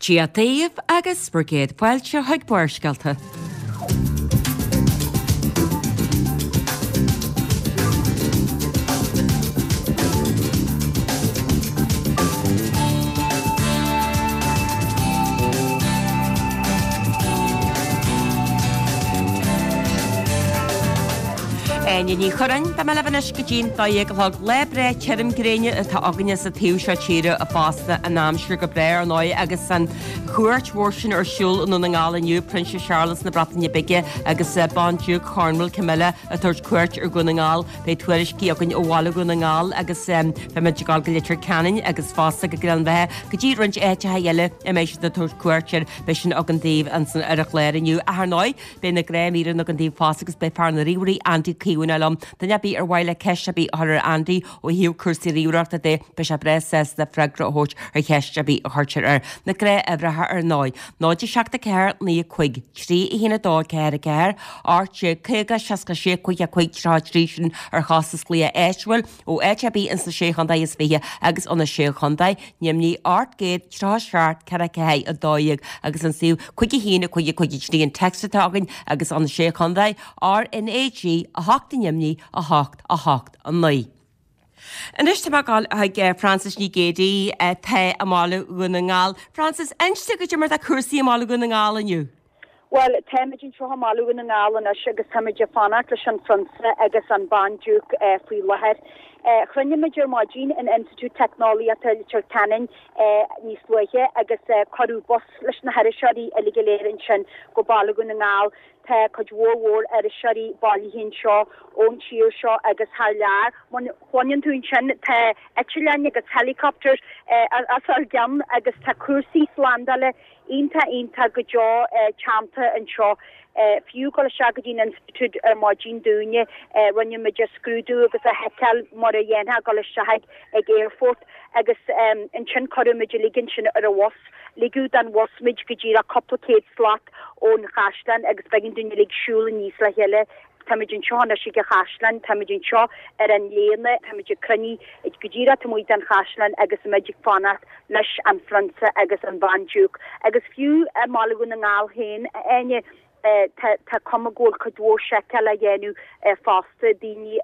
Dia daoibh agus bhur gcéad fáilte chuig Barrscéalta. Áine Ní Churráin, beidh mé libh anois go dtí'n 12 a chlog. Lá breá tirim gréine atá againne sa taobh seo tíre fosta, an aimsir go breá ar ndóigh agus an chuairt mhór sin ar siúl i nDún na nGall inniu, Prionsa Séarlas na Breataine Bige agus Bandiúc Chornwall Camilla ag tabhairt cuairt ar Dhún na nGall. Beidh tuairiscí againn ó bhaile Dhún na nGall agus beimid ag dul go Leitir Ceanainn agus fosta go Gleann Bheatha go dtí roinnt áiteacha eile a mbeidh siad ag tabhairt cuairt air. Beidh sin againn daoibh ansan ar an chlár inniu. Ach ar ndóigh, beidh na gnáthmhíreanna againn daoibh fosta agus beidh fear na ríomhairí Andy Caomhánach liom. Duine ar bith ar mhaith le ceist ar bith a chur ar Andy ó thaobh cúrsaí ríomhaireachta de, beidh sé breá sásta freagra a thabhairt ar cheist ar bith a chuirtear air. Na gnáthuimhreacha ar ndóigh, 0 7 4 9 5 3 1 2 4 4 18 50 66 55 33 sin ar chostas glaoch áitiúil ó áit ar bith ins na Sé Chontae is Fiche agus ó na Sé Chontae, Nimhní 837 44 12 agus an suíomh 5 1 5 5 3 an text atá againn agus ó na Sé Chontae, RnaG 8 Nimhní 8 8 9. Anois tá mé ag dul chuig Frances Ní Géidigh atá i mbaile Dhún na nGall. Frances, inis dom goidé mar atá cúrsaí i mbaile Dhún na nGall inniu. Bhuel, táimid anseo i mbaile Dhún na nGall anois agus táimid ag fanacht leis an Phrionsa agus an Bandiúc faoi láthair. Chruinnigh muid ar maidin in Institiúid Teicneolaíochta Leitir Ceanainn níos luaithe agus cuireadh bus leis na hiriseoirí uilig go léir ansin go baile Dhún na nGall. Tá cuid mhór mhór iriseoirí bailithe anseo ón tír seo agus thar lear. Mar a chluineann tú ansin tá eitleáin agus helicopters os ár gcionn agus tá cúrsaí slándála iontach iontach go deo teannta anseo. Fiú dul isteach go dtí an institiúid ar maidin dúinne, rinne muid a scrúdú agus a sheiceáil mar a dhéanfá dul isteach ag aerfort agus ansin cuireadh muid uilig ansin ar an bhus. Ligeadh den bhus muid go díreach cúpla céad slat ón chaisleán agus b'éigean dúinn uilig siúl aníos le chéile. Táimid anseo anois ag an chaisleán, táimid anseo ar an léana, táimid ag cruinniú go díreach taobh amuigh den chaisleán agus muid ag fanacht leis an Phrionsa agus an Bhandiúc. Agus fiú i mBaile Dhún na nGall féin, a Áine, tá cuma go bhfuil cuid mhór seiceáil á dhéanamh fosta, daoine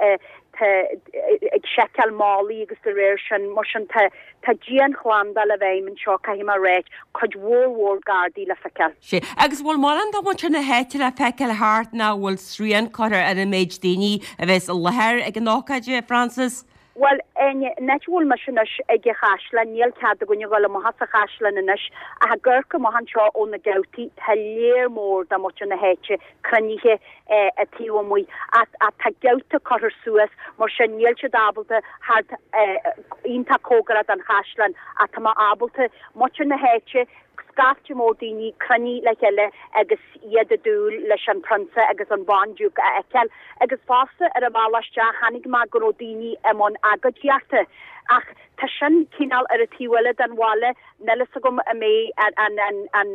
ag seiceáil málaí agus de réir sin, mar sin tá tá dianshlándáil i bhfeidhm anseo, caithfidh mé a ráit, cuid mhór mhór gardaí le feiceáil. Sea, agus bhfuil mórán de mhuintir na háite le feiceáil thart nó bhfuil srian curtha ar an méid daoine a bheas i láthair ag an ócáid, a Frances? Bhuel, an áit a bhfuil mise anois ag an chaisleán, níl cead againn a dhul amach as an chaisleán anois, ach ag amharc amach anseo ó na geaftaí, tá léar mór de mhuintir na háite cruinnithe taobh amuigh. Ach tá geafta curtha suas, mar sin níl siad ábalta theacht iontach cóngarach don chaisleán, ach tá mé ábalta muintir na háite, scaifte mór daoine cruinnithe le chéile agus iad ag dúil leis an Prionsa agus an Bhandiúc a fheiceáil. Agus fosta ar an bhealach isteach chonaic mé go raibh daoine i mbun agóidíochta. Ach tá sin cineál ar an taobh eile den bhaile, níl fhios agam an mbeidh an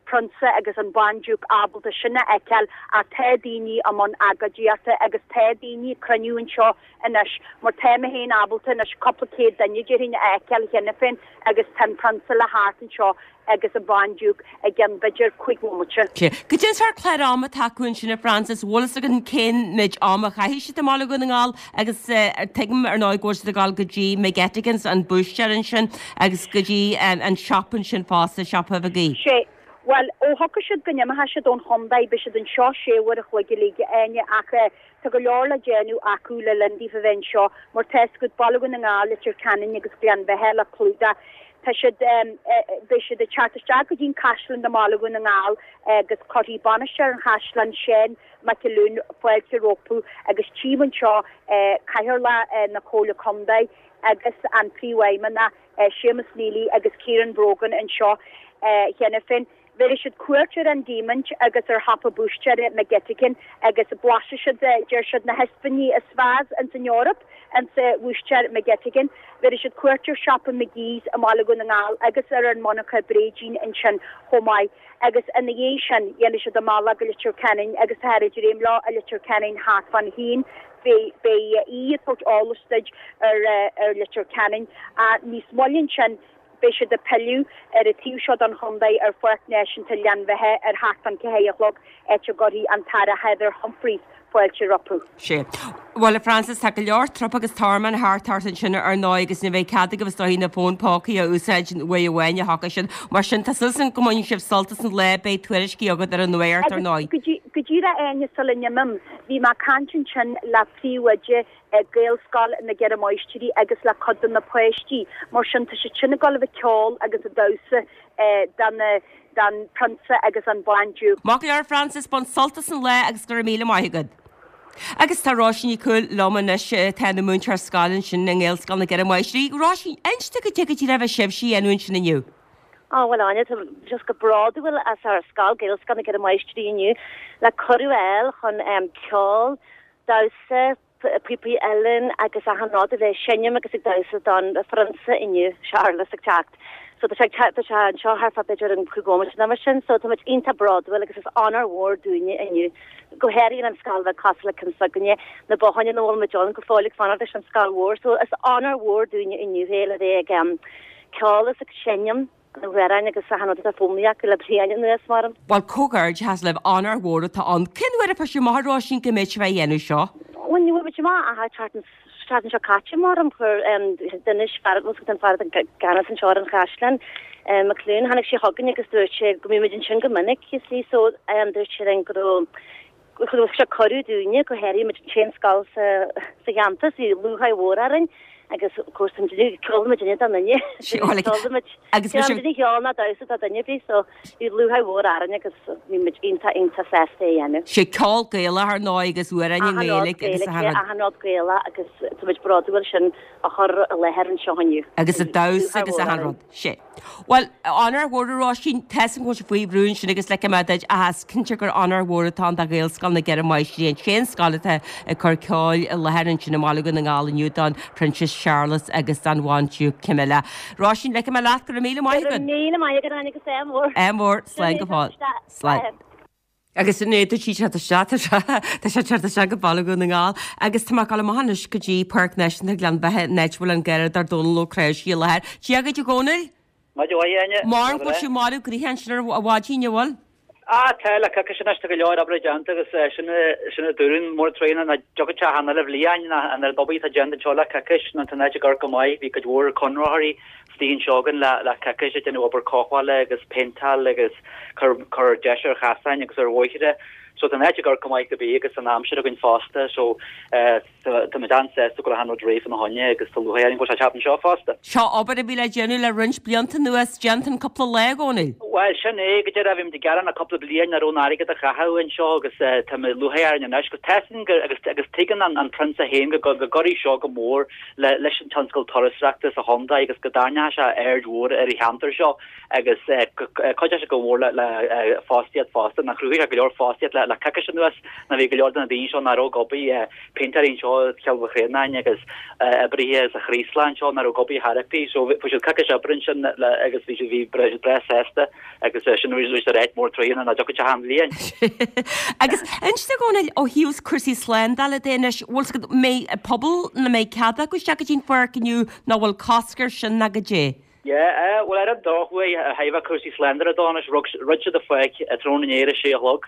Prionsa agus an Bhandiúc ábalta sin a fheiceáil ach tá daoine i mbun agóidíochta agus tá daoine ag cruinniú anseo anois mar tá mé féin ábalta anois cúpla céad duine déarfainn a fheiceáil cheana féin agus tá an Prionsa le theacht anseo agus an Bhandiúc i gceann b'fhéidir 5 bhomaite. Sea. Goidé an sórt clár ama atá acu ansin a Frances, bhfuil fhios againn cén méid ama a chaithfidh siad i mBaile Dhún na nGall agus tuigim ar ndóigh go bhfuil siad ag dul go dtí McGettigans, an búistéir ansin agus go dtí an siopa ansin fosta, siopa Mhagee. Sea. Bhuel, ó thiocfaidh siad go n-imeoidh siad ón chontae beidh siad anseo sé uair a chloig uilig, a Áine, ach Tá go leor le déanamh acu le linn daofa bheith anseo, mar tá fhios agat, Baile Dhún na nGall, Leitir Ceanainn agus Gleann Bheatha le clúdach. Tá siad, beidh siad ag teacht isteach go dtí an Caisleán i mBaile Dhún na nGall agus cuirfidh bainisteoir an chaisleáin, Seán McAloon, fáilte rompu agus tchím anseo Cathaoirleach na Comhairle Contae agus an Príomhfheidhmeannach, Séamus Neely agus Ciarán Brogan anseo cheana féin. Bhéarfaidh siad cuairt ar an Diamaint agus ar shiopa búistéara McGettigan agus blaisfidh siad, deir siad, na hispíní is fearr ins an Eoraip ins bhúistéir McGettigan. Bhéarfaidh siad cuairt ar shiopa McGee's i mBaile Dhún na nGall agus ar an monarcha bréidín ansin chomh maith agus ina dhiaidh sin dhéanfaidh siad a mbealach go Leitir Ceanainn agus táthar ag dréim leo i Leitir Ceanainn thart fán haon. Beidh aoi ag tabhairt eolas duit ar Leitir Ceanainn. Níos moille ansin. Beidh siad ag pilleadh ar an taobh seo den chontae ar Pháirc Náisiúnta Ghleann Bheatha ar theacht chun 4 a chlog, áit a gcuirfidh an tAire Heather Humphreys fáilte rompu. Sea. Bhuel, a Frances, tá go leor trup agus tormán thart thart ansin ar ndóigh agus ní bheidh cead agaibh is dóigh na fóin pócaí a úsáid uair amháin a thiocfaidh siad. Mar sin, tá súil agam go mbainfidh sibh sult as an lá, beidh tuairiscí agat ar an nuacht ar ndóigh. Agus go díreach Áine sula n-imím, bhí mé ag caint ansin le príomhoide Gaelscoil na gCeithre Máistrí agus le cuid de na páistí. Mar sin, tá siad sin ag dul a bheith ag ceol agus ag damhsa do na don Prionsa agus an Bhandiúc. Maith go leor Frances, bain sult as an lá agus go raibh míle maith agat. Agus tá Róisín Ní Chumhaill liom anois atá ina múinteoir scoile ansin i nGaelscoil na gCeithre Máistrí. Róisín, inis dom goidé go díreach a bheidh sibhse a dhéanamh ansin inniu. Á, bhuel Áine, tá just go bródúil as ár scoil, Gaelscoil na gCeithre Máistrí inniu le cuireadh a fháil chun ceol, damhsa, píopaí uilleann agus achan rud a bheith ag seinm agus ag damhsa don Phrionsa inniu, Séarlas ag teacht. So tá sé ag teacht, tá sé anseo thart fá b'fhéidir an 5 bhomaite nó mar sin, so tá muid iontach bródúil agus is onóir mhór dúinne inniu, go háirithe an scoil bheag cosúil le ceann s'againne, na botháin ina bhfuil muid ann go fóill ag fanacht leis an scoil mhór, so is onóir mhór dúinne inniu é le bheith ag ceol is ag seinm. Na hamhráin agus achan rud atá foghlamtha acu le bliain anuas, maram. Bhuel, comhghairdeachas libh, onóir mhór atá ann. Cén uair a fuair sibh amach, a Róisín, go mbeadh sibh á dhéanamh seo? Bhuel, ní bhfuair muid amach ach an tseachtain, seachtain seo caite, maram. Chuir, d'inis fear, bhfuil an fear atá i gceannas anseo ar an chaisleán, McLoone, tháinig sé chugainn agus dúirt sé go mbíonn muid ansin go minic, you see, so dúirt sé linn go raibh, Thug sé cuireadh dúinne, go háirithe muid an t-aon scoil sa cheantar, so bhí lúcháir mhór orainn agus of course tá muid, ceolann muidinne don duine. Ceolann muid, ceolann duine cheol ná damhsa do duine ar bith, so bhí lúcháir mhór orainn agus bhí muid iontach iontach sásta é a dhéanamh. Sé ceol Gaelach ar ndóigh agus amhráin i nGaeilge agus achan rud. Achan rud Gaelach agus tá muid bródúil sin a chur i láthair anseo inniu. Agus an damhsa agus achan rud. Sé. Bhuel, onóir mhór a Róisín, tá 'fhios a'm go bhfuil sibh faoi bhrú ansin agus ligfidh mé duit ach is cinnte gur onóir mhór atá ann do Ghaelscoil na gCeithre Máistrí, an t-aon scoil atá ag cur ceoil i láthair ansin i mBaile Dhún na nGall inniu don Phroinsias Séarlas agus don Bhandiúc Camilla. Róisín, ligfidh mé leat, go raibh míle maith agat. Go raibh míle maith agat, Áine, agus ádh mór. Ádh mór, slán go fóill. Slán. Agus an éadaigh sí teacht isteach, tá sé, tá sé teacht isteach go Baile Dhún na nGall. Agus tá mé ag dul amach anois go dtí Páirc Náisiúnta Ghleann Bheatha, an áit a bhfuil an Garradóir Dónal Ó Cnáimhsí i láthair. Dia dhuit a Dhónaill! Maidin mhaith, a Áine. Maram go bhfuil sibh marbh gnoitheach ansin ar mhaidin, an bhfuil? Ah, tá, le coicís anois, tá go leor oibre déanta agus sin sin a dúradh mór tréan nach dtiocfadh sé ach an uile bhliain an oiread obair atá déanta anseo le coicís nó tá an áit ag amharc go maith, bhí cuid mhór conraitheoirí istigh anseo againn le coicís ag déanamh obair cothabhála agus péinteáil agus cur cur deis ar chasáin agus ar bhóithre. So tá an áit ag amharc go maith go bith agus an aimsir againn fosta so tá muid an-sásta go bhfuil achan rud réidh fána choinne agus tá lúcháir orainn go bhfuil sé ag teacht anseo fosta. Seo obair a bhí le déanamh le roinnt blianta anuas déanta in cúpla lá, a Dhónaill. Bhuel sin é, go deimhin bhí muid ag gearán le cúpla bliain nach raibh an airgead a chaitheamh anseo agus tá lúcháir orainn anois agus tá agus agus tuigeann an an Prionsa féin go go gcuirfidh seo go mór le leis an tionscal turasóireachta sa chontae agus go dtarraingeoidh sé aird mhór ar an cheantar seo agus cuideoidh sé go mór le fostaíocht fosta. Nó chruthaigh sé go leor fostaíocht le coicís anuas nó bhí go leor de na daoine seo nach raibh ag obair, péintéirí anseo i Cill Mhic Réanáin agus oibrithe sa Chraoslach anseo nach raibh ag obair chor ar bith. So fuair siad coicís oibre ansin agus bhí siad bhí breá sásta. Agus sin arís ar áit mór troigheanna nach dtiocfadh sé achan bhliain. Agus inis a Dhónaill, ó thaobh cúrsaí slándála de anois, bhfuil 's agat, mbeidh pobal nó mbeidh cead acu isteach go dtí an pháirc inniu nó bhfuil cosc air sin ná goidé? Yeah, bhuel ar an drochuair, ó thaobh cúrsaí slándála de anois, dhruid siad an pháirc tráthnóna inné ar a sé a chlog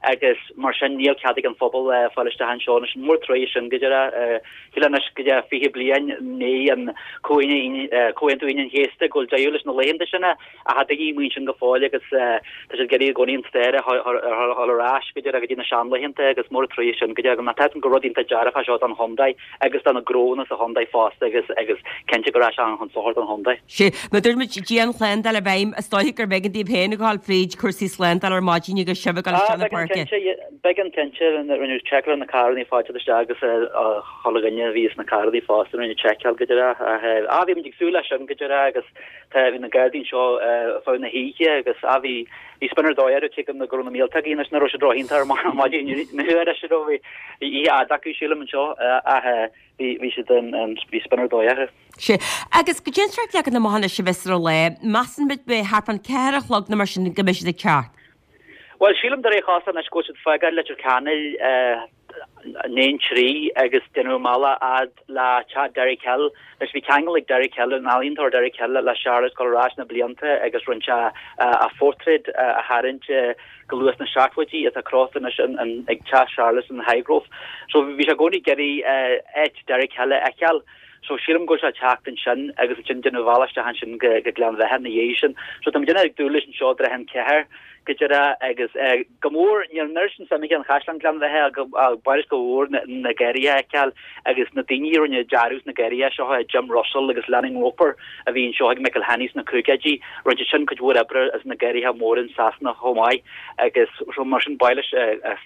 agus mar sin níl cead ag an phobal fáil isteach anseo anois. Mór an truaighe sin go díreach. Shílfeá anois go dtí 20 bliain i ndiaidh an Comhaontú Aoine an Chéasta go bhfuil deireadh leis na laethanta sin Ach tá daoine amuigh ansin go fóill agus tá siad ag iarraidh i gcónaí an stair a dhul ar ais go dtí go dtí na seanlaethanta agus mór an truaighe sin go dtí mar tá gur rud iontach dearfach é seo don chontae agus do na gnónna sa chontae fosta agus agus cinnte go raibh sé an-chun sochair don chontae. Sea, mar dúirt muid dianshlándáil i bhfeidhm, is dóiche gurbh éigean daoibh féin a ghabháil fríd cúrsaí slándála ar maidin agus sibh ag dul isteach na páirce. B'éigean cinnte, rinneadh seiceáil ar na carranna ag fáil isteach agus chuile dhuine a bhí sna carranna fosta rinneadh seiceáil go díreach ach bhí muid ag súil leis sin go díreach agus Tá, bhí na Gardaí anseo ar feadh na hoíche agus ah bhí, bhí spion ar dóigh orthu cé go raibh na míoltógaí anois nach raibh siad ró-iontach ar maidin inniu ar siad bhí oíche fhada acu sílim anseo ach bhí, bhí siad in, bhí spion ar dóigh orthu. Sea, agus goidé an sórt leagan amach anois a bheas ar an lá, measann muid beidh thart fán 4 a chlog nó mar sin go mbeidh siad ag teacht. Bhuel, sílim de réir cás anois go bhfuil siad ag fágáil Leitir Ceanainn. 1 3 agus déanamh an bealach fhad le teach Derek Hill. Anois bhí ceangal ag Derek Hill, an ealaíontóir Derek Hill, le Charlotte ag dul ar ais na blianta agus rinne sé a phortráid a tharraingt go luath sna seachtóidí atá crochta anois ag teach Charlotte in Highgrove. So bhí sé i gcónaí ag iarraidh áit Derek Hill a fheiceáil. So sílim go bhfuil sé ag teacht ansin agus ansin déanamh an bhealach isteach ansin go Gleann Bheatha ina dhiaidh sin. So tá muid ag dúil leis anseo i dtrátha an ceathair go díreach agus go mór níl an oiread sin suim aige in Chaisleán Ghleann Bheatha ach ba mhaith leis go mhór na garraithe a fheiceáil agus na daoine a rinne dearadh sna garraithe seo, Jim Russell agus Lennon Roper a bhí anseo ag McElhenney sna caogaidí, rinne siad sin cuid mhór oibre sna garraithe móra in Sasana chomh maith agus mar sin ba mhaith leis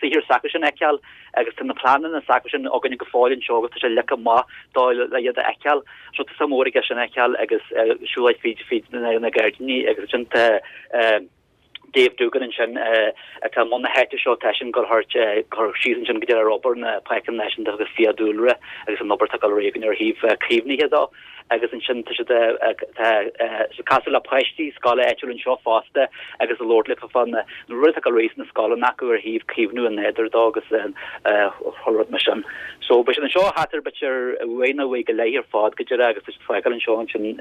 saothar s'acusan a fheiceáil agus tá na pleananna s'acusan againne go fóill anseo agus tá sé leagtha amach dó le iad a fheiceáil. So tá suim mhór aige sin a fheiceáil agus siúlóid fríd fríd na gairdíní agus ansin tá Dave Doogan ansin atá i mbun na háite seo, tá eisean ag dul thart cur síos ansin go dtí ar obair na Páirceanna Náisiúnta agus Fiadhúlra agus an obair atá ag dul ar aghaidh againn ar thaobh caomhnaithe dó. Agus ansin tá siad tá siad casadh le páistí scoile áitiúil anseo fosta agus ag labhairt leofa fá na rudaí atá ag dul ar aghaidh sna scoileanna acu ar thaobh caomhnú an nádúir dó agus chuile rud mar sin. So beidh siad anseo thart ar b'fhéidir uair nó uair go leith ar fad go díreach agus tá siad fágáil anseo ansin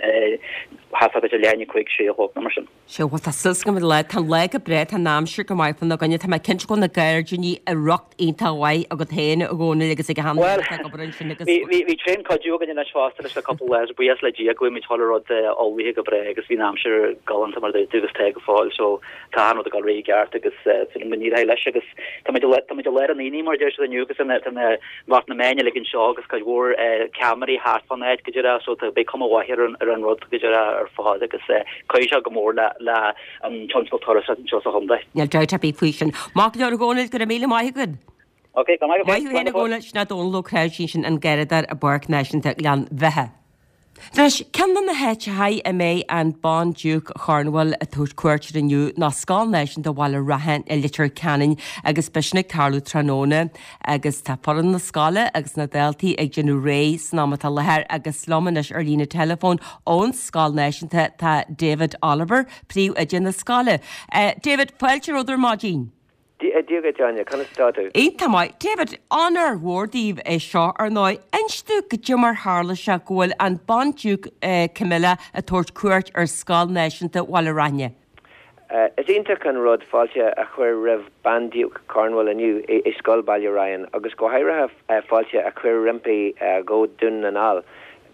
thart ar b'fhéidir leath i ndiaidh 5, 6 a chlog nó mar sin. Sea, bhuel tá súil agam go bhfuil, tá an lá go breá, tá an aimsir go maith fána gcoinne, tá mé cinnte go bhfuil na gairdíní i riocht iontach mhaith agat féin, a Dhónaill, agus ag achan duine atá ag obair ansin agus. Bhuel, bhí tréan-chuidiú againn anois fosta leis le cúpla lá, so buíochas le Dia go bhfuil muid chuile rud ullmhaithe go breá agus bhí an aimsir galánta mar a dúirt tú agus tá go fóill so tá achan rud ag dul ar aghaidh i gceart agus súil agam go n-éireoidh leis agus tá muid tá muid i lár an aonaigh mar a deir siad inniu agus tá na lucht na meáin uilig anseo agus cuid mhór ceamaraí thart fán áit go díreach so tá beidh cuma mhaith ar an ar an rud go díreach ar fad agus cuirfidh sé go mór le le an tionscal turasóireachta anseo sa chontae. Níl dabht ar bith faoi sin. Maith go leor a Dhónaill, go raibh míle maith agat. Ok, go maith Maith thú féin a Dhónaill, sin é Dónal Ó Cnáimhsí sin an Garradóir i bPáirc Náisiúnta Ghleann Bheatha. Anois, ceann de na háiteacha a mbeidh an Bandiúc Chornwell ag tabhairt cuairt air inniu ná Scoil Náisiúnta Bhaile Raithin i Leitir Ceanainn agus beidh sin ag tarlú tráthnóna agus tá foireann na scoile agus na daltaí ag déanamh réidh san am atá i láthair agus liom anois ar líne teileafóin ón Scoil Náisiúnta tá David Oliver, Príomhoide na scoile. David, fáilte romhat ar maidin. Dia duit, Áine, conas atá tú? Iontach maith. David, onóir mhór daoibh é seo, ar ndóigh. Inis domh goidé mar tharla sé go bhfuil an Bandiúc Camilla ag tabhairt cuairt ar Scoil Náisiúnta Bhaile Raithne. Is iontach an rud fáilte a chur roimh Bandiúc Cornwall inniu i Scoil Baile Ryan agus go háirithe fáilte a chur roimpi go Dún na nGall.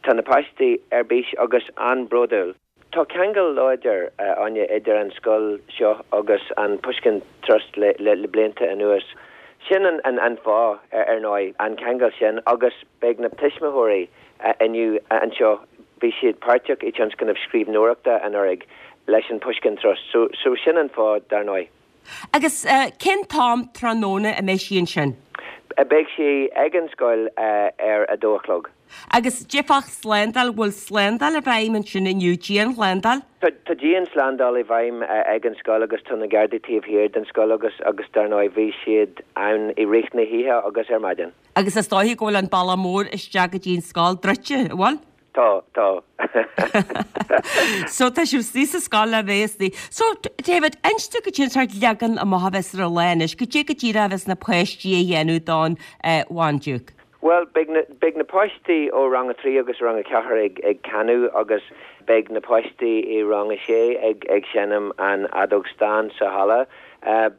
Tá na páistí ar bís agus an-bhródúil. Tá ceangal láidir, a Áine, idir an scoil seo agus an Pushkin Trust le blianta anuas. Sin an fáth, ar ndóigh, an ceangal sin agus beidh na tuismitheoirí inniu anseo, bhí siad páirteach i tionscnamh scríbhneoireachta anuraidh leis an Pushkin Trust. So sin an fáth, dar ndóigh. Agus cén t-am tráthnóna a mbeidh sí ansin? Beidh sí ag an scoil ar a dó a chlog. Agus cad é fá shlándáil, bhfuil slándáil i bhfeidhm ansin inniu, dianshlándáil? Tá dianshlándáil i bhfeidhm ag an scoil agus tá na Gardaí taobh thiar den scoil agus agus dar ndóigh bhí siad ann i rith na hoíche agus ar maidin. Agus is dóiche go bhfuil an bealach mór isteach go dtí an scoil druidte, an bhfuil? Tá, tá. So tá sibh istigh sa scoil le bheith istigh. So, David, inis domh goidé an sórt leagan amach a bheas ar an lá anois, goidé go díreach a bheas na páistí a dhéanamh don Bhandiúc. Bhuel, beidh na, beidh na páistí ó rang a 3 agus rang a 4 ag, ag canadh agus beidh na páistí i rang a 6 ag, ag seinm an fheadóg stáin sa halla.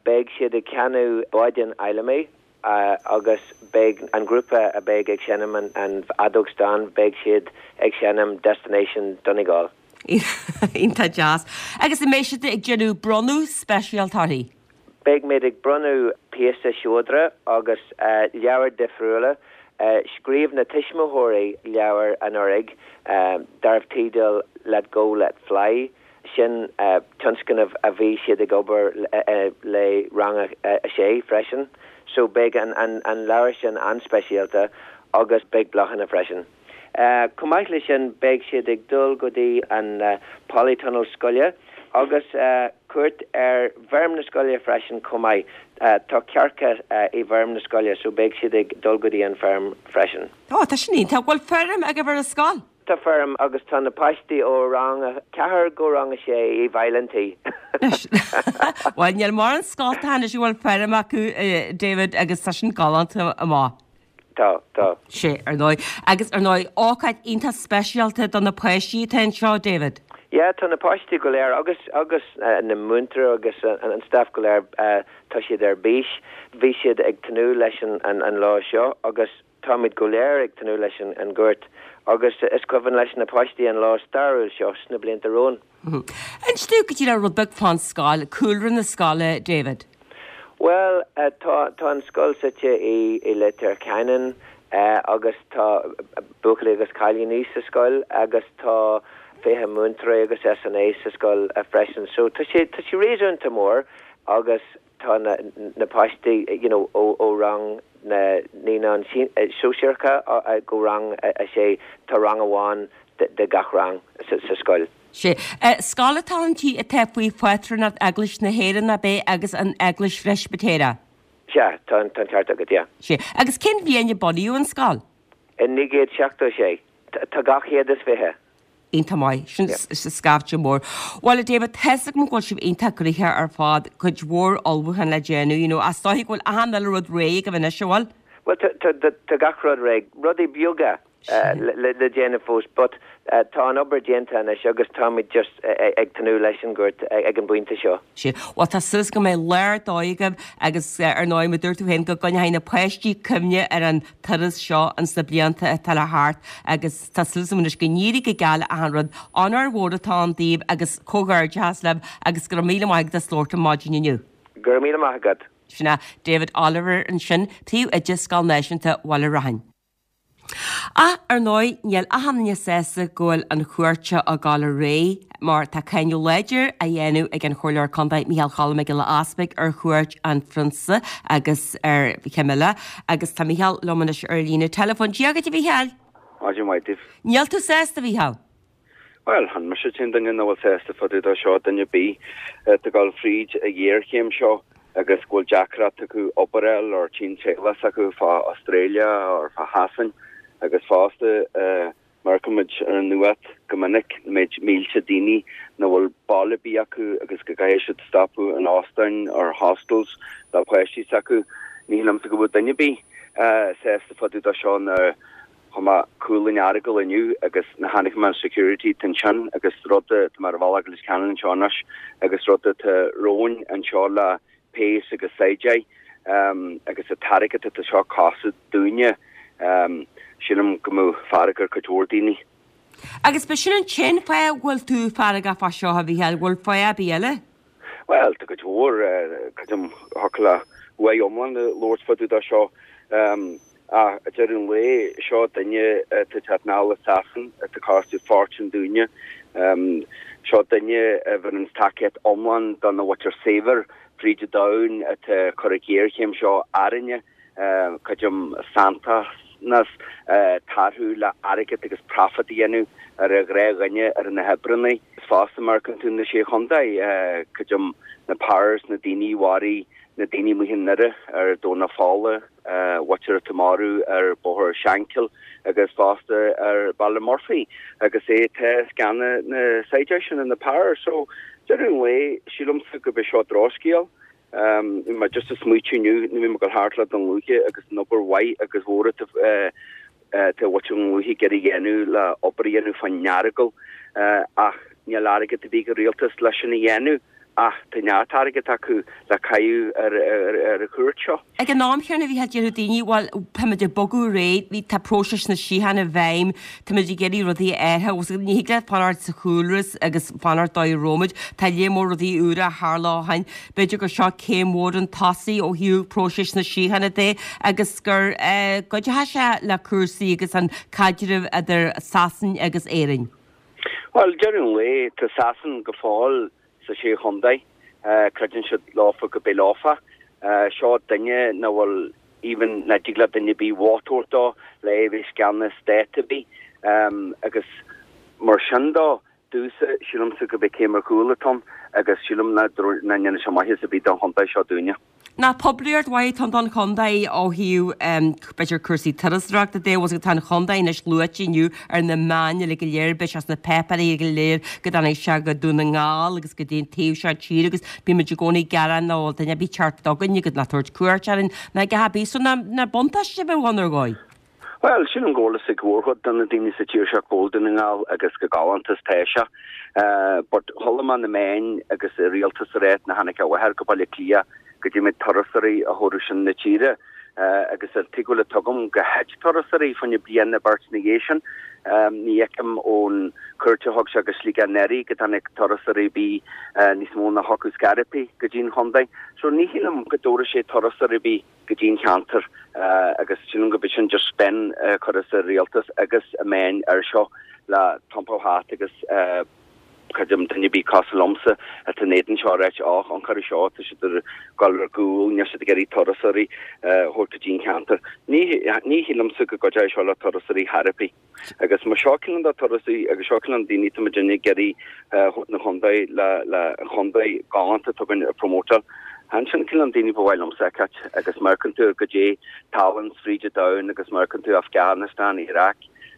Beidh siad ag canadh Báidín Fheidhlimidh agus beidh an grúpa a bheidh ag seinm an, an fheadóg stáin, beidh siad ag seinm Destination Donegal. Iontach deas. Agus an mbeidh siad ag déanamh bronnadh speisialta uirthi? Beidh muid ag bronnadh píosa seodra agus leabhair difriúla. Scríobh na tuismitheoirí leabhar anuraidh darbh teideal Let Go Let Fly. Sin tionscnamh a bhí siad ag obair le rang a sé freisin. So beidh an leabhar sin an-speisialta agus beidh bláthanna freisin. Chomh maith leis sin beidh siad ag dul go dtí an polytunnel scoile agus cuairt ar bhfeirm na scoile freisin chomh maith. Tá cearca i bhfeirm na scoile so beidh siad ag dul go dtí an feirm freisin. Ó, tá sin iontach. Bhfuil feirm agaibh ar an scoil? Tá feirm agus tá na páistí ó rang a ceathair go rang a sé i bhfeighil an tí. Bhuel, níl mórán scoltacha anois a bhfuil feirm acu, David, agus tá sin galánta amach. Tá, tá. Sea, ar ndóigh. Agus ar ndóigh, ócáid iontach speisialta do na páistí atá anseo, David. Yeah, tá na páistí go léir agus, agus na múinteoirí agus an staff go léir, tá siad ar bís. Bhí siad ag tnúth leis an lá seo agus táimid go léir ag tnúth leis an gcuairt agus is cuimhin leis na páistí an lá stairiúil seo sna blianta romhainn. Inis dúinn go díreach rud beag fán scoil, cúlra na scoile, David. Bhuel, tá, tá an scoil suite i, i Leitir Ceanainn agus tá buachaillí agus cailíní sa scoil agus tá 20 múinteoirí agus SNA sa scoil freisin. So tá sé, tá sé réasúnta mór agus tá na, na páistí, you know, ó, ó rang na naíonáin sóisearacha go rang a sé, tá rang amháin de, de gach rang sa, sa scoil. Sea. Scoil atá inti atá faoi phátrúnacht Eaglais na hÉireann, ab é, agus an Eaglais Phreispitéireach? Sea, tá an ceart agat, yeah. Sea. Agus cén bhliain a bunaíodh an scoil? I 1976. Tá 220. Iontach maith. Sin scaifte mór. Bhuel, a David, tá's agam go bhfuil sibh iontach gnoitheach ar fad, cuid mhór ullmhúchán le déanamh, you know, ach is dóiche go bhfuil achan uile rud réidh agaibh anois, an bhfuil? Bhuel, tá gach rud réidh. Rudaí beaga. le déanamh fós but tá an obair déanta anois agus táimid just ag tnúth leis an gcuairt ag an bpointe seo. Sea. Bhuel tá súil go mbeidh lá ar dóigh agaibh agus ar ndóigh mar a dúirt tú féin go gcoinneoidh na páistí cuimhne ar an turas seo ins na blianta atá le theacht agus tá súil agam anois go n-éirí go geal le achan rud. Onóir mhór atá ann daoibh agus comhghairdeachas libh agus go raibh míle maith agat as labhairt liom maidin inniu. Go raibh míle maith agat. Sin é David Oliver ansin, Príomhoide Scoil Náisiúnta Bhaile Raithin. Ach, ar ndóigh, níl achan duine sásta go bhfuil an chuairt seo ag dul ar aghaidh mar tá cáineadh láidir á dhéanamh ag an Chomhairleoir Contae Micheál Cholm Mac Giolla Easpaig ar chuairt an Phrionsa agus ar Camilla agus tá Micheál liom anois ar líne teileafóin. Dia dhuit a Mhicheáil! Maidin mhaith daoibh. Níl tú sásta, a Mhicheáil? Bhuel, chan mise an t-aon duine nach bhfuil sásta fá dtaobh de seo, duine ar bith atá ag dul fríd an ghéarchéim seo agus go bhfuil deacracht acu obair a fháil or tchíonn teaghlach s'acu fá Australia or fá Shasain agus fosta mar a fheiceann muid ar an nuacht go minic na méid mílte daoine nach bhfuil baile ar bith acu agus go gcaithfidh siad stopadh in óstáin or hostels le páistí s'acu. Ní shílimse go bhfuil duine ar bith sásta fá dtaobh de seo ná Chuaigh mé Cúil an Earagail inniu agus nuair a chonaic mé an security atá ansin agus rud tá mé ar an bhealach go Leitir Ceanainn anseo anois agus rud atá romhainn anseo le péas agus saighdiúirí agus an t-airgead atá seo ag costú dúinne sílim go mbeadh fearg ar cuid mhór daoine. Agus ba sin an t-aon fáth a bhfuil tú feargach fá seo, a Mhichíl, bhfuil fáth ar bith eile? Bhuel, tá cuid mhór, creidim, thiocfadh le uair iomlán a labhairt fá dtaobh de seo. Ach ag deireadh an lae, seo duine atá ag teacht anall as Sasain, atá ag costú fortún dúinne. Seo duine a bheireann tacaíocht iomlán do na mhuintir saibhir fríd an domhan atá ag cur an ghéarchéim seo orainne. Creidim sanntanas atá orthu le airgead agus profit a dhéanamh ar an ghnáthdhuine, ar na hoibreanna. Is fosta mar a fheiceann tú na Sé Chontae, creidim na powers, na daoine a mharaigh na daoine amuigh i nDoire ar Domhnach Fola, mhuintir atá marbh ar Bhóthar Shankill agus fosta ar Ballymurphy agus é atá ag ceannach na saighdiúirí sin na powers. So, deireadh an lae, sílimse gurb é seo drochscéal. Bhí mé just ag smaoitiú inniu, nuair a bhí mé ag dul thart le Dún Lúiche agus an obair mhaith agus mhór atá atá mhuintir Dhún Lúiche ag iarraidh a dhéanamh le obair a dhéanamh fán Earagail ach níl airgead ar bith ag an rialtas leis sin a dhéanamh ach tá neart airgead acu le caitheamh ar ar an chuairt seo. Ag an am chéanna a Mhichíl, déarfadh daoine, bhuel, táimid ag bogadh ar aghaidh, bhí, tá próiseas na síochána i bhfeidhm, táimid ag iarraidh rudaí a athrú, ní thig leat fanacht sa chúlra agus fanacht dóigh a raibh muid, tá lear mór rudaí úra a tharla ó shin, b'fhéidir gur seo céim mhór chun tosaigh ó thaobh próiseas na síochána de agus gur gcuideoidh sé le cúrsaí agus an caidreamh idir Sasain agus Éirinn. Bhuel, deireadh an lae, tá Sasain go fóill sa Sé Chontae. Creideann siad leofa go beidh leofa. Seo duine nach bhfuil even nach dtig le duine ar bith vóta a thabhairt dó le é a bheith i gceannas stát ar bith. Agus mar sin dó, domhsa, sílimse gurb é céim ar chúl atá ann agus sílim nach ndéanfaidh sé maitheas ar bith don chontae seo dúinne. Nach poiblíocht mhaith atá ann don chontae ó thaobh b'fhéidir cúrsaí turasóireachta de, bhfuil tá an chontae anois luaite inniu ar na meáin uilig go léir, beidh sé sna páipéirí go léir go dtáinig sé go Dún na nGall agus go dtí an taobh seo tíre agus bíonn muid i gcónaí ag gearán nach bhfuil duine ar bith ag teacht chugainn agus ná tabhairt cuairt orainn ná a dhath ar bith so nach buntáiste a bheadh ann ar dhóigh. Bhuel, sílim go bhfuil fhios ag mórchuid de na daoine sa tír seo cá bhfuil Dún na nGall agus go galánta is tá sé. But chuala mé na meáin agus an rialtas ag ráit nuair a tháinig a mháthair go Baile Átha Cliath go dtí méid turasóirí a thabharfadh sin na tíre agus an tuigbheáil atá agam gur thit turasóirí fá choinne bliain nó beirt ina dhiaidh sin. Ní fheicim ón cuairt a thug sé go Sligeach anuraidh go dtáinig turasóirí ar bith níos mó ná thiocfadh scairt go dtí an chontae. So ní shílim go dtabharfaidh sé turasóirí ar bith. go dtí an cheantar agus sílim go b'é sin just spin a chuireas an rialtas agus na meáin air seo le iompú thart agus creidim duine ar bith cosúil liomsa atá in éadan seo a ráit och an cuireadh seo tá siad ag dul ar gcúl níl siad ag iarraidh turasóirí a thabhairt go dtí an cheantar. Ní ní shílimse go gcuideoidh seo le turasóirí chor ar bith. Agus má seo cineál de turasóirí agus seo cineál daoine tá muidinne ag iarraidh thabhairt na chontae le le an chontae galánta atá againn a promótáil. Chan sin cineál daoine ba mhaith liomsa a fheiceáilt agus má amharcann tú ar goidé tallann fríd an domhan agus má amharcann tú Afghanistan, Iraq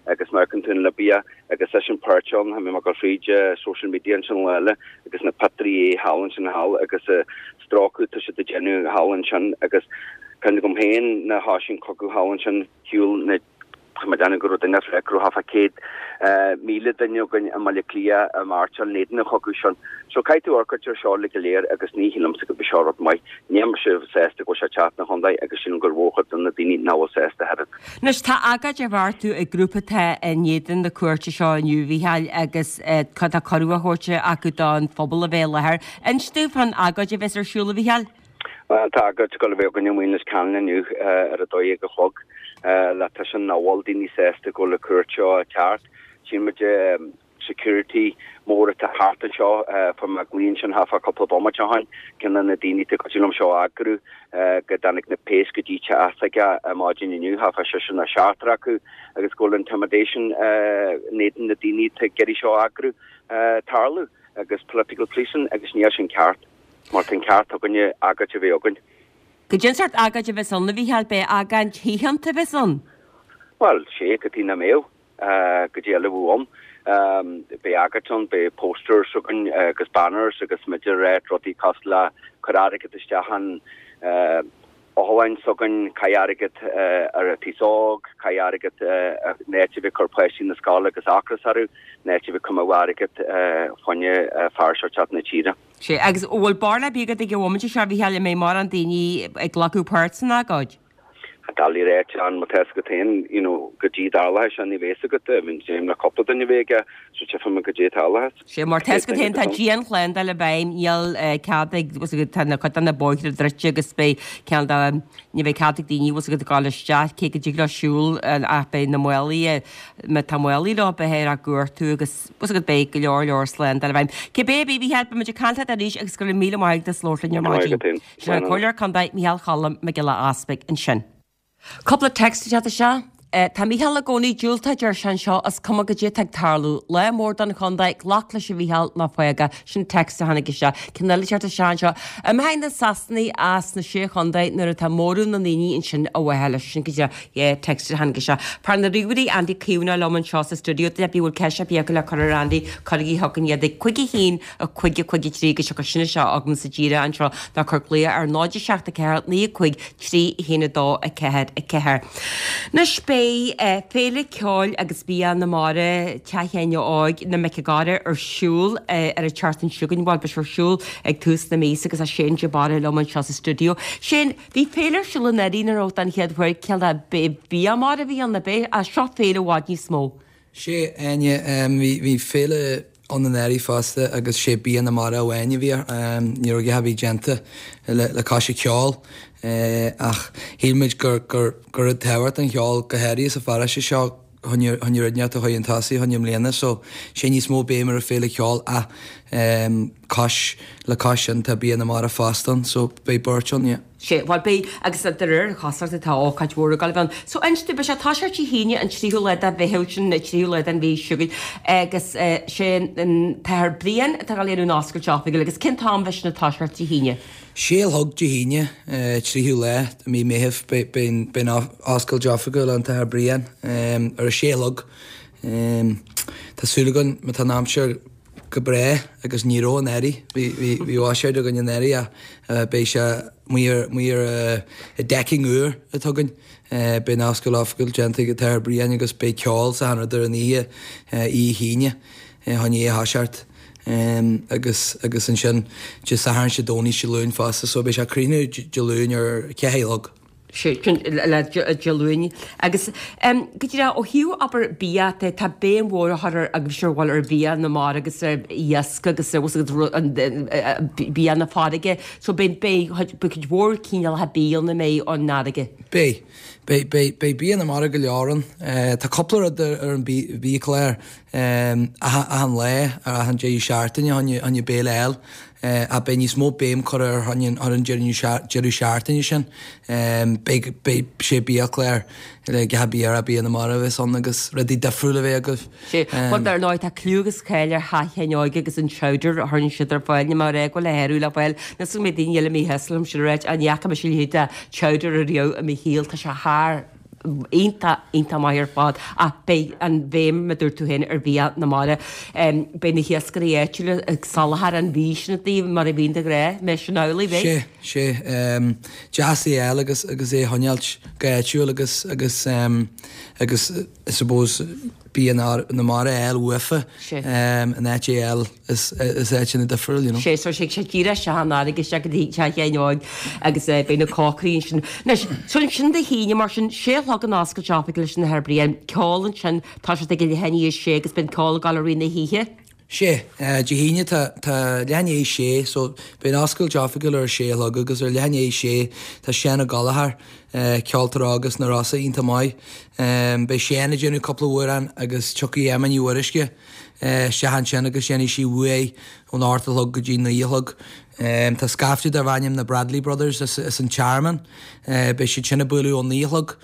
agus má amharcann tú an Libia agus leis an páirt ann, tá mé ag dul fríd social media ansin lá eile agus na pictiúirí thall ansin thall agus stróiceadh tá siad ag déanamh thall ansin agus cuimhne agam féin nuair a thoisigh an cogadh thall ansin shiúil na Tá mé ag déanamh go raibh duine ag go raibh thart fá 100,000 duine againn i mBaile Átha Cliath ag mairseáil in éadan an chogadh sin. So caithfidh tú amharc ar seo uilig go léir agus ní shílimse go b'é seo rud maith. Níl mise sásta go bhfuil sé ag teacht 'na chontae agus sílim gur mhórchuid de na daoine nach bhfuil sásta ach oiread. Anois tá agóid á bheartú ag grúpa atá in éadan na cuairte seo inniu, a Mhícheáil, agus tá cuireadh á thabhairt acu don phobal a bheith i láthair. Inis dúinn fán agóid a bheas ar siúl, a Mhícheáil. Bhuel, tá agóid ag dul a bheith againn i Maoin Leitir Ceanainn inniu ar 12 a chlog le tuiscint nach bhfuil daoine sásta go bhfuil an cuairt seo ag teacht. Tchíonn muid security mór atá thart anseo. Fuair mé glaoch ansin thart fá cúpla bomaite ó shin. Ceann de na daoine atá ag cuidiú liom seo a eagrú go dtáinig na péas go dtí teach s'aige ar maidin inniu, thart fá seisear nó seachtar acu agus go bhfuil intimidation in éadan na daoine atá ag iarraidh seo a eagrú tarlú agus political policing agus níl sin ceart. Mar tá an ceart againne agóid a bheith againn. Goidé an sórt agóid a bheas ann, a Mhícheáil, b'é agóid shíochánta a bheas ann? Bhuel, sé, cad chuige nach mbeadh? Goidé eile a bheadh ann? Beidh agóid ann, beidh posters againn agus banners agus muid ag ráit rudaí cosúil le cuir airgead isteach in otharlann s'againn, caith airgead ar an t-aos óg, caith airgead in áit a bheith ag cur páistí na scoile agus ocras orthu, in áit a bheith ag coimeád airgead fá choinne fear seo teacht na tíre. Sé, agus an bhfuil barúil ar bith agat ag an bhomaite seo, a Mhícheáil, an mbeidh mórán daoine ag glacadh páirt san agóid? Doiligh a ráit, má tá fhios agat féin, you know, goidé tarlóidh sé, ní bheidh fhios agat, I mean, déanaim le cúpla duine a bheith aige, so tchífidh muid goidé tarlóidh. Sé, mar tá fhios agat féin, tá dianshlándáil i bhfeidhm, níl cead ag, bhfuil fhios agat, tá na cuid de na bóithre druidte agus beidh ceann de, ní bheidh cead ag daoine, bhfuil fhios agat, ag dul isteach, cé go dtig leo siúl ach beidh na málaí, má tá málaí leo, beifear á gcuartú agus, bhfuil fhios agat, beidh go leor leor slándáil i bhfeidhm. Cibé ar bith, a Mhícheáil, beidh muid ag caint leat arís agus go raibh míle maith agat as labhairt linn ar maidin. Sin an Comhairleoir Contae Mícheál Cholm Mac Giolla Easpaig ansin. Cúpla text ag teacht isteach. Tá Mícheál i gcónaí diúltach, deir sé anseo, is cuma goidé atá ag tarlú. Lá mór don chontae, glac leis a Mhícheál, ná fág é. Sin text a tháinig isteach. Ceann eile ag teacht isteach anseo. Imtheoidh na Sasanaigh as na Sé Chontae nuair atá móramh na ndaoine ansin a mhaithe leis. Sin go díreach yeah, text a tháinig isteach. Fear na ríomhairí Andy Caomhánach liom anseo sa stiúideo. Duine ar bith a bhfuil ceist ar bith acu le cur ar Andy, cuirigí chugainn iad ag 5 1 5 5 3 agus tiocfaidh sin isteach chugamsa díreach anseo nó cuir glaoch ar 0 7 4 9 5 3 1 2 4 4. Anois beidh Féile Ceoil agus Bia na Mara Teach Sheáin Óig na Mic an Gharra ar siúl ar an tseachtain seo chugainn, bhuel beidh sé ar siúl ag tús na míosa agus tá Shane de Barra liom anseo sa stiúideo. Shane, bhí féile ar siúl anuraidh nuair a raibh den chéad uair, cén bia mara a bhí ann, ab é? Ach seo féile i bhfad níos mó. Sé, Áine, bhí féile ann anuraidh fosta agus sé bia na mara amháin a bhí air. Ní raibh a dhath ar bith déanta le cois an cheoil ach shíl muid gur gur rud tábhachtach an cheol go háirithe sa pharóiste seo choinne rud inteacht a chur chun tosaigh choinne i mbliana so sé níos mó béim ar an féile cheoil ach cois le cois sin tá bia na mara fosta ann so beidh beirt ann yeah. Sé, bhuel beidh, agus de réir na cosúlachta tá ócáid mhór ag dul a bheith ann. So inis dúinn, beidh sé ag toiseacht Dé hAoine an tríú lá de Mheitheamh, sin an tríú lá den mhí seo chugainn, agus sé an tAthair Brian atá ag dul a dhéanamh an oscailt oifigiúil, agus cén t-am a bheidh sin ag toiseacht Dé hAoine? Sé a chlog Dé hAoine, tríú lá de mí Meithimh, beidh an oscailt oifigiúil an tAthair Brian ar a sé a chlog. Tá súil againn, má tá an aimsir. go breá agus ní raibh anuraidh, bhí bhí bhí ócáid againn anuraidh ach beidh sé amuigh ar amuigh ar an decking úr atá againn. Beidh an oscailt oifigiúil déanta ag an tAthair Brian agus beidh ceol is achan rud ar an oíche, oíche hAoine, fá choinne a thoiseacht agus agus ansin Dé Sathairn, Dé Domhnaigh, Dé Luain fosta so beidh sé ag críochnú Dé Luain ar 4 a chlog. Sin le Dé Luain. Agus go díreach ó thaobh abair bia de, tá béim mhór á chur ar agaibhse ar bhfuil ar bhia na mara agus ar iasc agus ar bia na farraige. So beidh beidh cuid mhór cineálacha bia ann a mbeidh ón fharraige. Beidh. Beidh beidh beidh bia na mara go leor ann. Tá cúpla rud ar an biachlár achan lá ar achan deireadh seachtaine fá choinne béile eile. Ach beidh níos mó béim curtha ar ar an deireadh seachtaine sin. Beidh beidh sé biachlár le gach bia ar bia na mara a bheas ann agus rudaí difriúla a bheith agaibh. Sé, bhuel dar ndóigh tá cliú agus cáil ar Theach Sheáin Óig agus an chowder a chuireann siad ar fáil, níl mé ag rá go bhfuil a shárú le fáil, níl 's go mbeidh daoine eile míshásta liom sin a ráit, ach ní fhaca mise a leithéid de chowder ariamh i mo shaol, tá sé thar iontach, iontach maith ar fad ach beidh an bhéim, mar a dúirt tú féin, ar bhia na mara. Beidh na hiascairí áitiúla ag soláthar an bhídh sin daoibh mar a bhíonn de ghnáth, mbeidh sin amhlaidh, beidh? Sé, sé. Deas é a fháil agus agus é a choinneáilt go háitiúil agus agus agus I suppose bia na mara a fháil uafa in áit é a fháil as áiteanna difriúil, you know. Sé, so sé sé díreach isteach an fharraige isteach go dtí Teach Sheáin Óig agus beidh na cócairí ansin. Anois, so ansin Dé hAoine mar sin, sé a chlog an oscailt oifigiúil leis an Athair Brian, ceol ansin, tá sé ag leath i ndiaidh a sé agus beidh an ceol ag dul i rith na hoíche. Sé, Dé hAoine tá tá leath i ndiaidh a sé so beidh an oscailt oifigiúil ar a sé a chlog agus ar leath i ndiaidh a sé tá Seán Ó Gallchóir, ceoltóir óg as na Rosa iontach maith. Beidh Seán ag déanamh cúpla amhrán agus tiocfaidh Emma Ní Mhuirisce isteach ansin agus déanfaidh sí uaidh ón ocht a chlog go dtí naoi a chlog. Tá scaifte darb ainm na Bradley Brothers as an Tearmann, beidh siad sin ag bualadh ón naoi a chlog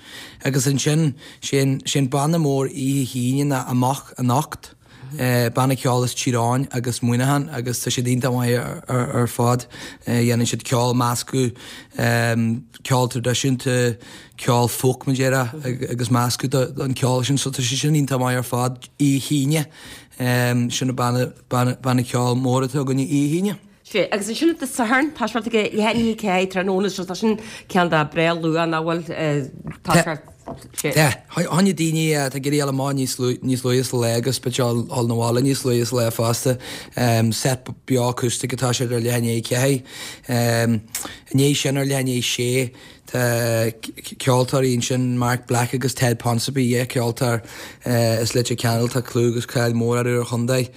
agus ansin sé an banna mór oíche hAoine ná Amach Anocht. Banna ceoil as Tír Eoghain agus Muineachán agus tá siad iontach maith ar fad. Dhéanann siad ceol meascadh, ceol traidisiúnta, ceol folk mar déarfá agus meascadh den ceol sin so tá siad sin iontach maith ar fad. Oíche hAoine, sin an banna ceoil mór atá againne oíche hAoine. Sea, agus ansin Dé Sathairn, tá sé ag leath i ndiaidh a 4 tráthnóna, so tá sin cineál de breá luath nach bhfuil, tá sé, sea. Tá, fá choinne daoine atá ag iarraidh dul amach níos níos luaithe sa lá agus b'fhéidir a dhul 'na bhaile níos luaithe sa lá fosta. Set beo acoustic atá sé ar leath i ndiaidh a 4. I ndiaidh sin ar leath i ndiaidh a sé, Tá ceoltóirí ansin, Mark Black agus Ted Ponsonby, dhá cheoltóir as Leitir Ceanainn, tá clú agus cáil mór orthu ar chontae.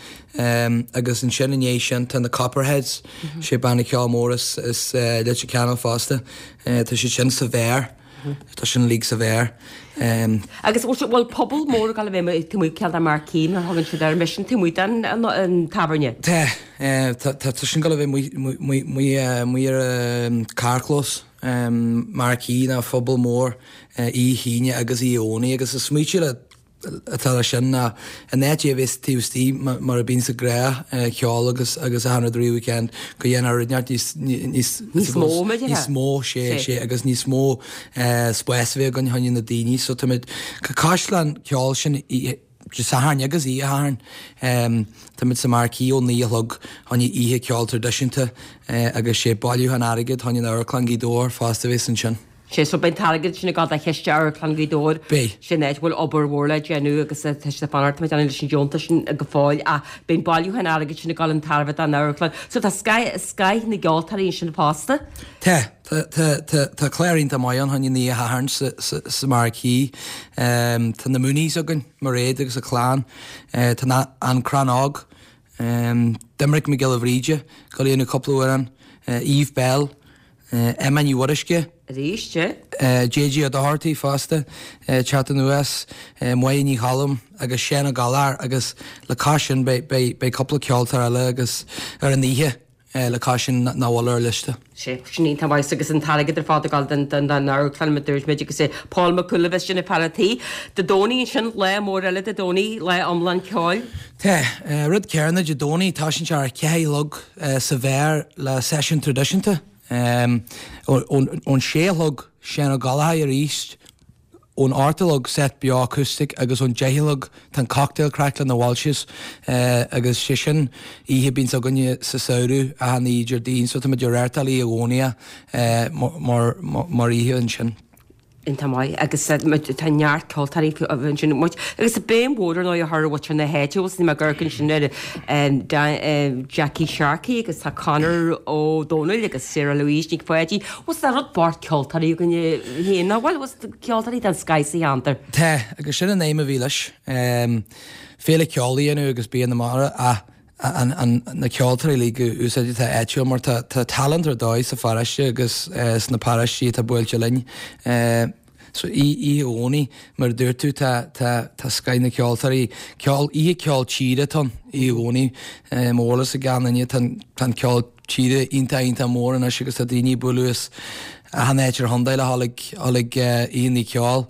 Agus ansin i ndiaidh sin tá na Copperheads, sé banna ceoil mór as Leitir Ceanainn fosta. Tá siad sin sa bheár, tá sin uilig sa bheár. Agus bhfuil pobal mór ag dul a bheith taobh amuigh cineál de marquee mar a thugann siad air, mbeidh sin taobh amuigh den tábhairne? Tá, tá sin ag dul a bheith amuigh ar an carrchlós. Marquee ná phuball mór Oíche hAoine agus Oíche Dhomhnaigh agus an smaoitiú atá leis sin ná in áit é a bheith taobh istigh mar a bíonn sa ghnáth cheol agus agus achan rud i rith an weekend go dhéanfar rud inteacht níos níos níos mó níos mó sé sé agus níos mó spás a bheith againn fá choinne na daoine so táimid caisleán ceoil sin Dé Sathairn agus Oíche Shathairn. Táimid sa Marquee ó 9 a chlog fá choinne oíche ceoil traidisiúnta agus sé bailiúchán airgid fá choinne Amharclann Ghaoth Dobhair fosta a bheas ansin. Sé so beidh an t-airgead sin ag dul do chiste Amharclann Ghaoth Dobhair. Beidh. Sin áit a bhfuil obair mhór le déanamh agus tá siad ag fanacht, tá muid ag déanamh leis an deontas sin go fóill ach beidh an bailiúchán airgid sin ag dul chun tairbhe don amharclann. So tá scoth na gceoltóirí ansin fosta. Tá. Tá clár iontach maith ann fá choinne an oíche Shathairn sa Marquee. Tá na Mooneys againn, Mairéad agus a clann. Tá An Crann Óg, Doimnic Mac Giolla Bhríde, ag dul a dhéanamh cúpla amhrán, Eve Belle, Emma Ní Mhuirisce. Arís, JJ Ó Dochartaigh fosta, teacht anuas, Máire Ní Choilm agus Seán Ó Gallchóir agus le cois sin beidh cúpla ceoltóir eile agus ar an oíche. le cois sin nach bhfuil ar an liosta. Sé, sin iontach maith agus an t-airgead ar fad ag dul don don don amharclann mar dúirt muid agus é Paul Mac Cumhaill a bheas ina fear a' tí. Dé Domhnaigh ansin, lá mór eile Dé Domhnaigh, lá iomlán ceoil. Tá. Rud céanna Dé Domhnaigh, tosaíonn sé ar a ceathair a chlog sa bheár le seisiún traidisiúnta. Ón sé a chlog, Seán Ó Gallchóir arís. Ón 8 a chlog, set beo acoustic agus ón 10 a chlog tá an cocktail craic le na Walshes agus sé sin oíche a bíonns againne sa samhradh achan oíche Déardaoin so tá muid ag reáchtáil oíche Dhomhnaigh mar mar oíche ansin. Iontach maith agus tá neart ceoltóirí ansin muid agus béim mhór ar ndóigh á chur ar mhuintir na háite bhfuil mé ag amharc ansin ar Jackie Sharkey agus tá Conor Ó Dónaill agus Sarah Louise Nic Pháidín Bhuel tá rud bocht ceoltóirí againne féin, nach bhfuil? Bhuel, ceoltóirí den scoith sa cheantar. Tá, agus sin an aidhm a bhí leis. Féile ceoil a dhéanamh agus bia na mara ach na ceoltóirí uilig a úsáid atá áitiúil mar tá talent ar dóigh sa pharóiste agus sna paróistí atá buailte linn. So oíche Dhomhnaigh, mar a dúirt tú, tá, tá, tá scoith na ceoltóirí, ceol, oíche ceol tíre atá ann, oíche Dhomhnaigh. Mar a bhfuil fhios ag gach duine, tá an, tá an ceol tíre iontach, iontach mór anois agus tá daoine ag bualadh as achan áit ar chontae le dhul ag, dhul ag oícheanna ceoil.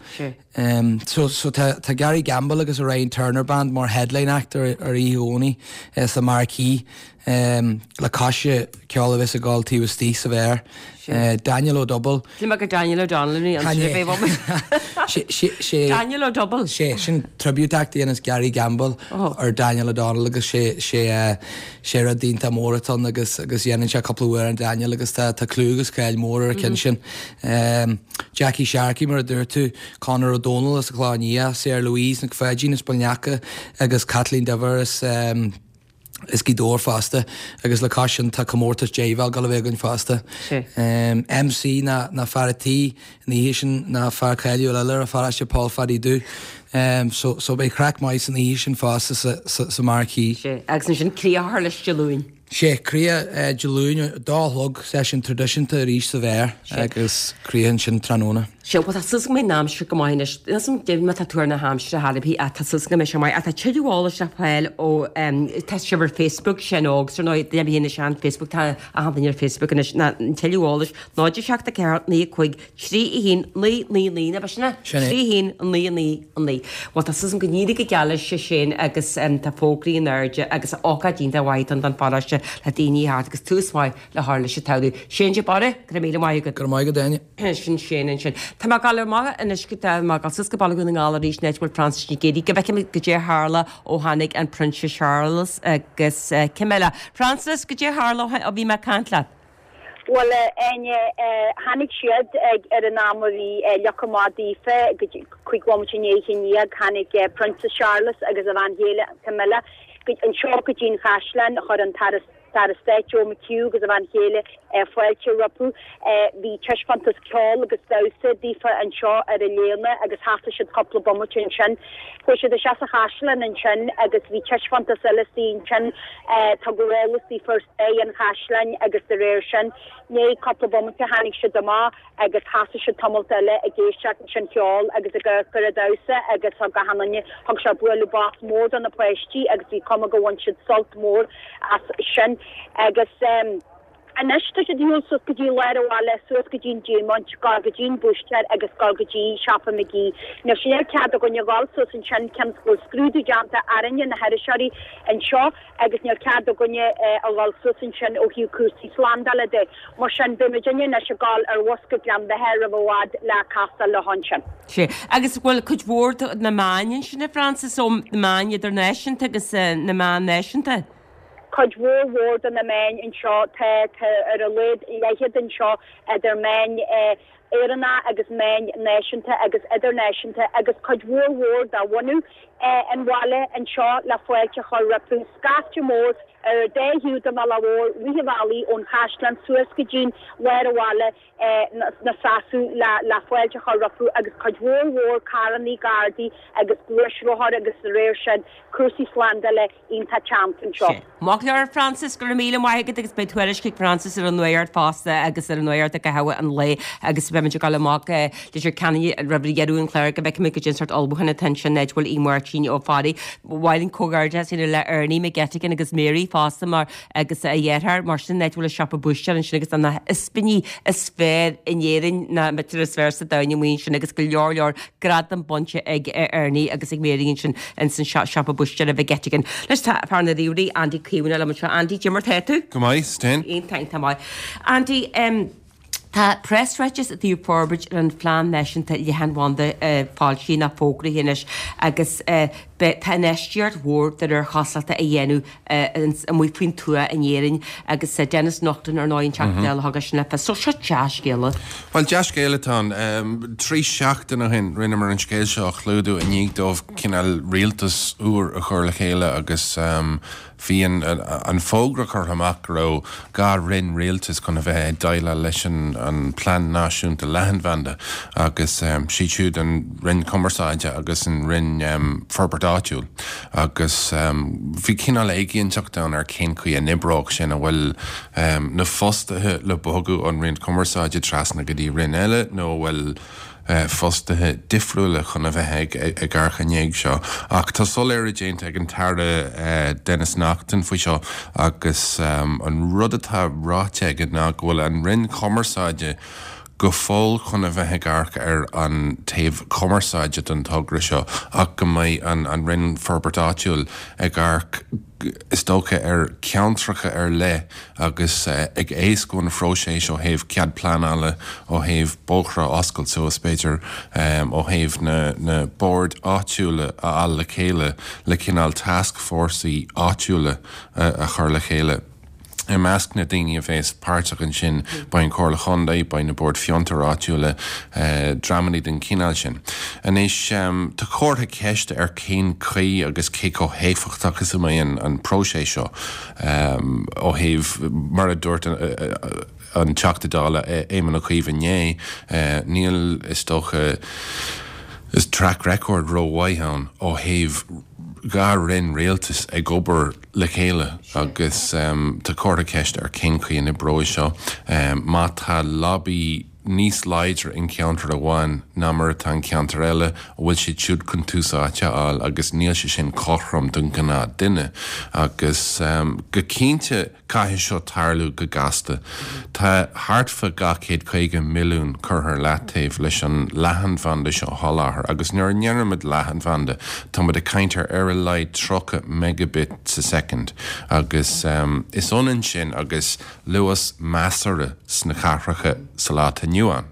So, so tá, tá Gary Gamble agus a Ryan Turner Band mar headline act ar, ar oíche Dhomhnaigh sa Marquee. Le cois ceol a bheas ag dul taobh istigh sa bheár. Daniel O'Double. Shíl mé gur Daniel O'Donnell a bhí ann sin a bheith uaim. Daniel O'Double. Sé, sin tribute act a dhéanas Gary Gamble ar Daniel O'Donnell agus sé, sé, sé rud iontach mór atá ann agus, agus dhéanann sé cúpla amhrán Daniel agus tá, tá clú agus cáil mór ar an cheann sin. Jackie Sharkey mar a dúirt tú, Conor Ó Dónaill as an Chlochán Liath, Sarah Louise Nic Pháidín as Baile an Eacha agus Caitlín Diver as, as Gaoth Dobhair fosta agus le cois sin tá comórtas deighbheáil ag dul a bheith againn fosta. MC ná ná fear a' tí an oíche sin ná fear cáiliúil eile ar an pharóiste Paul Phaddy Dubh. So so beidh craic maith san oíche sin fosta sa sa sa Marquee. Sea, agus ansin críoch leis Dé Luain. Sea, críoch Dé Luain, dó a chlog, seisiún traidisiúnta arís sa bheár agus críoch ansin tráthnóna. Sea, bhuel tá súil agam go mbeidh an aimsir go maith anois. Níl 's agam goidé mar tá tuar na haimsire thar a bith ach tá súil agam go mbeidh sé maith. Ach tá tuilleadh eolais le fáil ó tá sibh ar Facebook, Shane Ógs ar ndóigh, duine ar bith anois ar Facebook, tá achan duine ar Facebook anois. Ná an tuilleadh eolais 0 7 4 9 5 3 1 9 9 9 ná b'shin é? Sin é. 3 1 9 9 9. Bhuel tá súil agam go n-éirí go geal leis a Shane agus tá fógraí in airde agus ócáid iontach mhaith don pharóiste le daoine a theacht agus tús maith le chur leis an tsamhradh. Shane de Barra, go raibh míle maith agat. Go raibh maith agat, Áine. Sin Shane ansin. Tá mé ag gabháil amach anois go tá mé ag gabháil suas go Baile Dhún na nGall arís an áit a bhfuil Frances Nic Géadaigh go bhfeicfidh muid goidé a tharla ó tháinig an Prionsa Charles agus Camilla. Frances, goidé a tharla ó bhí mé ag caint leat? Bhuel, a Áine, tháinig siad ag ar an am a bhí fhliuch amach daofa, go dtí cúig bhomaite i ndiaidh a haon dhéag, tháinig Prionsa Charles agus a bhean chéile Camilla anseo go dtí an chaisleán, chuir an tAire Aire Stáit Joe McHugh agus a bhean chéile fáilte rompu. Bhí taispeántas ceoil agus damhsa daofa anseo ar an léana agus sheasaigh siad cúpla bomaite ansin. Chuaigh siad isteach sa chaisleán ansin agus bhí taispeántas eile istigh ansin. Tugadh eolas daofa ar stair an chaisleáin agus de réir sin, i ndiaidh cúpla bomaite tháinig siad amach. agus sheasaigh siad tamalt eile ag éisteacht leis an cheol agus ag amharc ar an damhsa agus thug achan duine, thug sé bualadh bos mór do na páistí agus bhí cuma gur bhain siad sult mór as sin. Agus anois tá siad ar shiúl suas go dtí lár an bhaile, suas go dtí an Diamant, dul go dtí an búistéir agus dul go dtí siopa McGee. Anois níl cead againne a dhul suas ansin cionn is go bhfuil scrúdú déanta orainne na hiriseoirí anseo agus níl cead againne a dhul suas ansin ó thaobh cúrsaí slándála de. Mar sin, beidh muidinne anois ag dul ar bhus go Gleann Bheatha roimh i bhfad le castáil leo ansin. Sea. Agus bhfuil cuid mhór de na meáin ansin, a Frances, ó na meáin idirnáisiúnta agus na meáin náisiúnta? Cuid mhór mhór de na meáin anseo. Tá, tá ar a laghad leathchéad anseo idir meáin Éireannacha agus meáin náisiúnta agus idirnáisiúnta agus cuid mhór mhór de bhunadh an bhaile anseo le fáilte a chur rompu. Scaifte mór ar an dá thaobh den bhealach mhór, rith an bhealaigh ón chaisleán suas go dtí'n lár an bhaile 'na seasamh le fáilte a chur rompu agus cuid mhór mhór carrannaí, gardaí agus gluaisrothair agus de réir sin cúrsaí slándála iontach teannta anseo. Maith go leor Frances, go raibh míle maith agat agus beidh tuairisc ag Frances ar an Nuacht fosta agus ar an Nuacht i gcaitheamh an lae agus beimid ag dul amach go Leitir Ceanainn roimh dheireadh an chláir go bhfeicfimid goidé an sórt ullmhúchán atá ansin áit a bhfuil Aodh Máirtín Ó Fearraigh. Ba mhaith linn comhghairdeas a dhéanamh le Ernie McGettigan agus Mary fosta mar agus a dheartháir mar sin áit a bhfuil an siopa búistéir ansin agus tá na hispíní is fearr in Éirinn na b'fhéidir is fearr sa domhan amuigh ansin agus go leor leor gradam bainte ag Ernie agus ag Mary ansin ins an siopa búistéara McGettigan. Anois tá fear na ríomhairí, Andy Caomhánach liom anseo. Andy, cad é mar tá tú? Go maith, is tú féin? Iontach, iontach maith. Andy, em, Tá preasráiteas i dtaobh forbairt ar an Phlean Náisiúnta Leathanbhanda foilsithe nó fógraithe anois agus beidh tá infheistíocht mhór de réir chosúlachta á dhéanamh amuigh faoin tuath in Éirinn agus Denis Naughten ar ndóigh an Teachta Dála a thug é sin le fios. So seo dea-scéala. Bhuel dea-scéala atá ann. 3 seachtain ó shin rinneamar an scéal seo a chlúdú i ndiaidh dóibh cineál rialtas úr a chur le chéile agus Bhí an fógra curtha amach go raibh 2 roinn rialtais chun a bheith ag déileáil leis an Plean Náisiúnta Leathanbhanda agus siad siúd an Roinn Cumarsáide agus an Roinn Forbairt Áitiúil agus bhí cineál éiginnteacht ann ar cén chaoi a n-oibreodh sin, an bhfuil na fostaithe le bogadh ón Roinn Cumarsáide trasna go dtí roinn eile nó an bhfuil fostaithe difriúla chun a bheith ag amharc i ndiaidh seo. Ach tá soiléiriú déanta ag an tAire Denis Naughten faoi seo agus an rud atá ráite aige ná go bhfuil an Roinn Chumarsáide go fóill chun a bheith ag amharc ar an taobh cumarsáide den togra seo ach go mbeidh an Roinn Forbairt Áitiúil ag amharc is dócha, ar cheantracha ar leith agus ag éascú an phróiseas ó thaobh cead pleanála, ó thaobh bóithre a oscailt suas, b'fhéidir, ó thaobh na boird áitiúla a fháil le chéile le cineál tascfhórsaí áitiúla a chur le chéile. I measc na daoine a bhéas páirteach ansin beidh an Chomhairle Chontae, beidh na Boird Fiontair Áitiúla, dreamanna den chineál sin. Anois, tá comhartha ceiste ar cén chaoi agus cé chomh héifeachtach is a mbeidh an próiseas seo ó thaobh, mar a dúirt an Teachta Dála Éamon Ó Cuív inné, níl, is dócha, track record rómhaith ann ó thaobh 2 roinn rialtais ag obair le chéile agus tá comhartha ceiste ar cén chaoi a n-oibreoidh seo. Má tá lobby níos láidre in ceantar amháin ná mar atá in ceantar eile, an bhfuil siad siúd chun tús áite a fháil agus níl sé sin cothrom don ghnáth duine agus go cinnte Caithfidh seo tarlú go gasta. Tá thart fá 250 milliún curtha ar leataobh leis an leathanbhanda seo a sholáthar agus nuair a ndeirimid leathanbhanda tá muid ag caint ar ar a laghad 30 megabit sa soicind agus is ionann sin agus luas measartha sna cathracha sa lá atá inniu ann.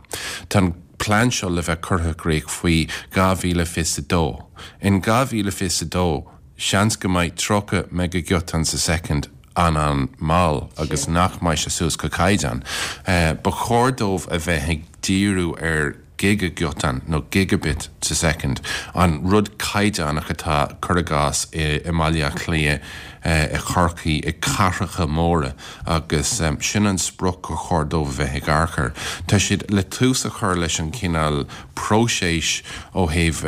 Tá an plean seo le bheith curtha i gcrích faoi 2022. In 2022 seans go mbeidh 30 meigigiotán sa soicind an-an-mhall agus nach mbeidh sé suas go caighdeán. Ba chóir dóibh a bheith ag díriú ar gigigiotán nó gigabit sa soicind, an rud caighdeánach atá, cuir i gcás, i mBaile Átha Cliath, i Chorcaí, i cathracha móra agus sin an sprioc gur chóir dóibh a bheith ag amharc air. Tá siad le tús a chur leis an chineál próiseas ó thaobh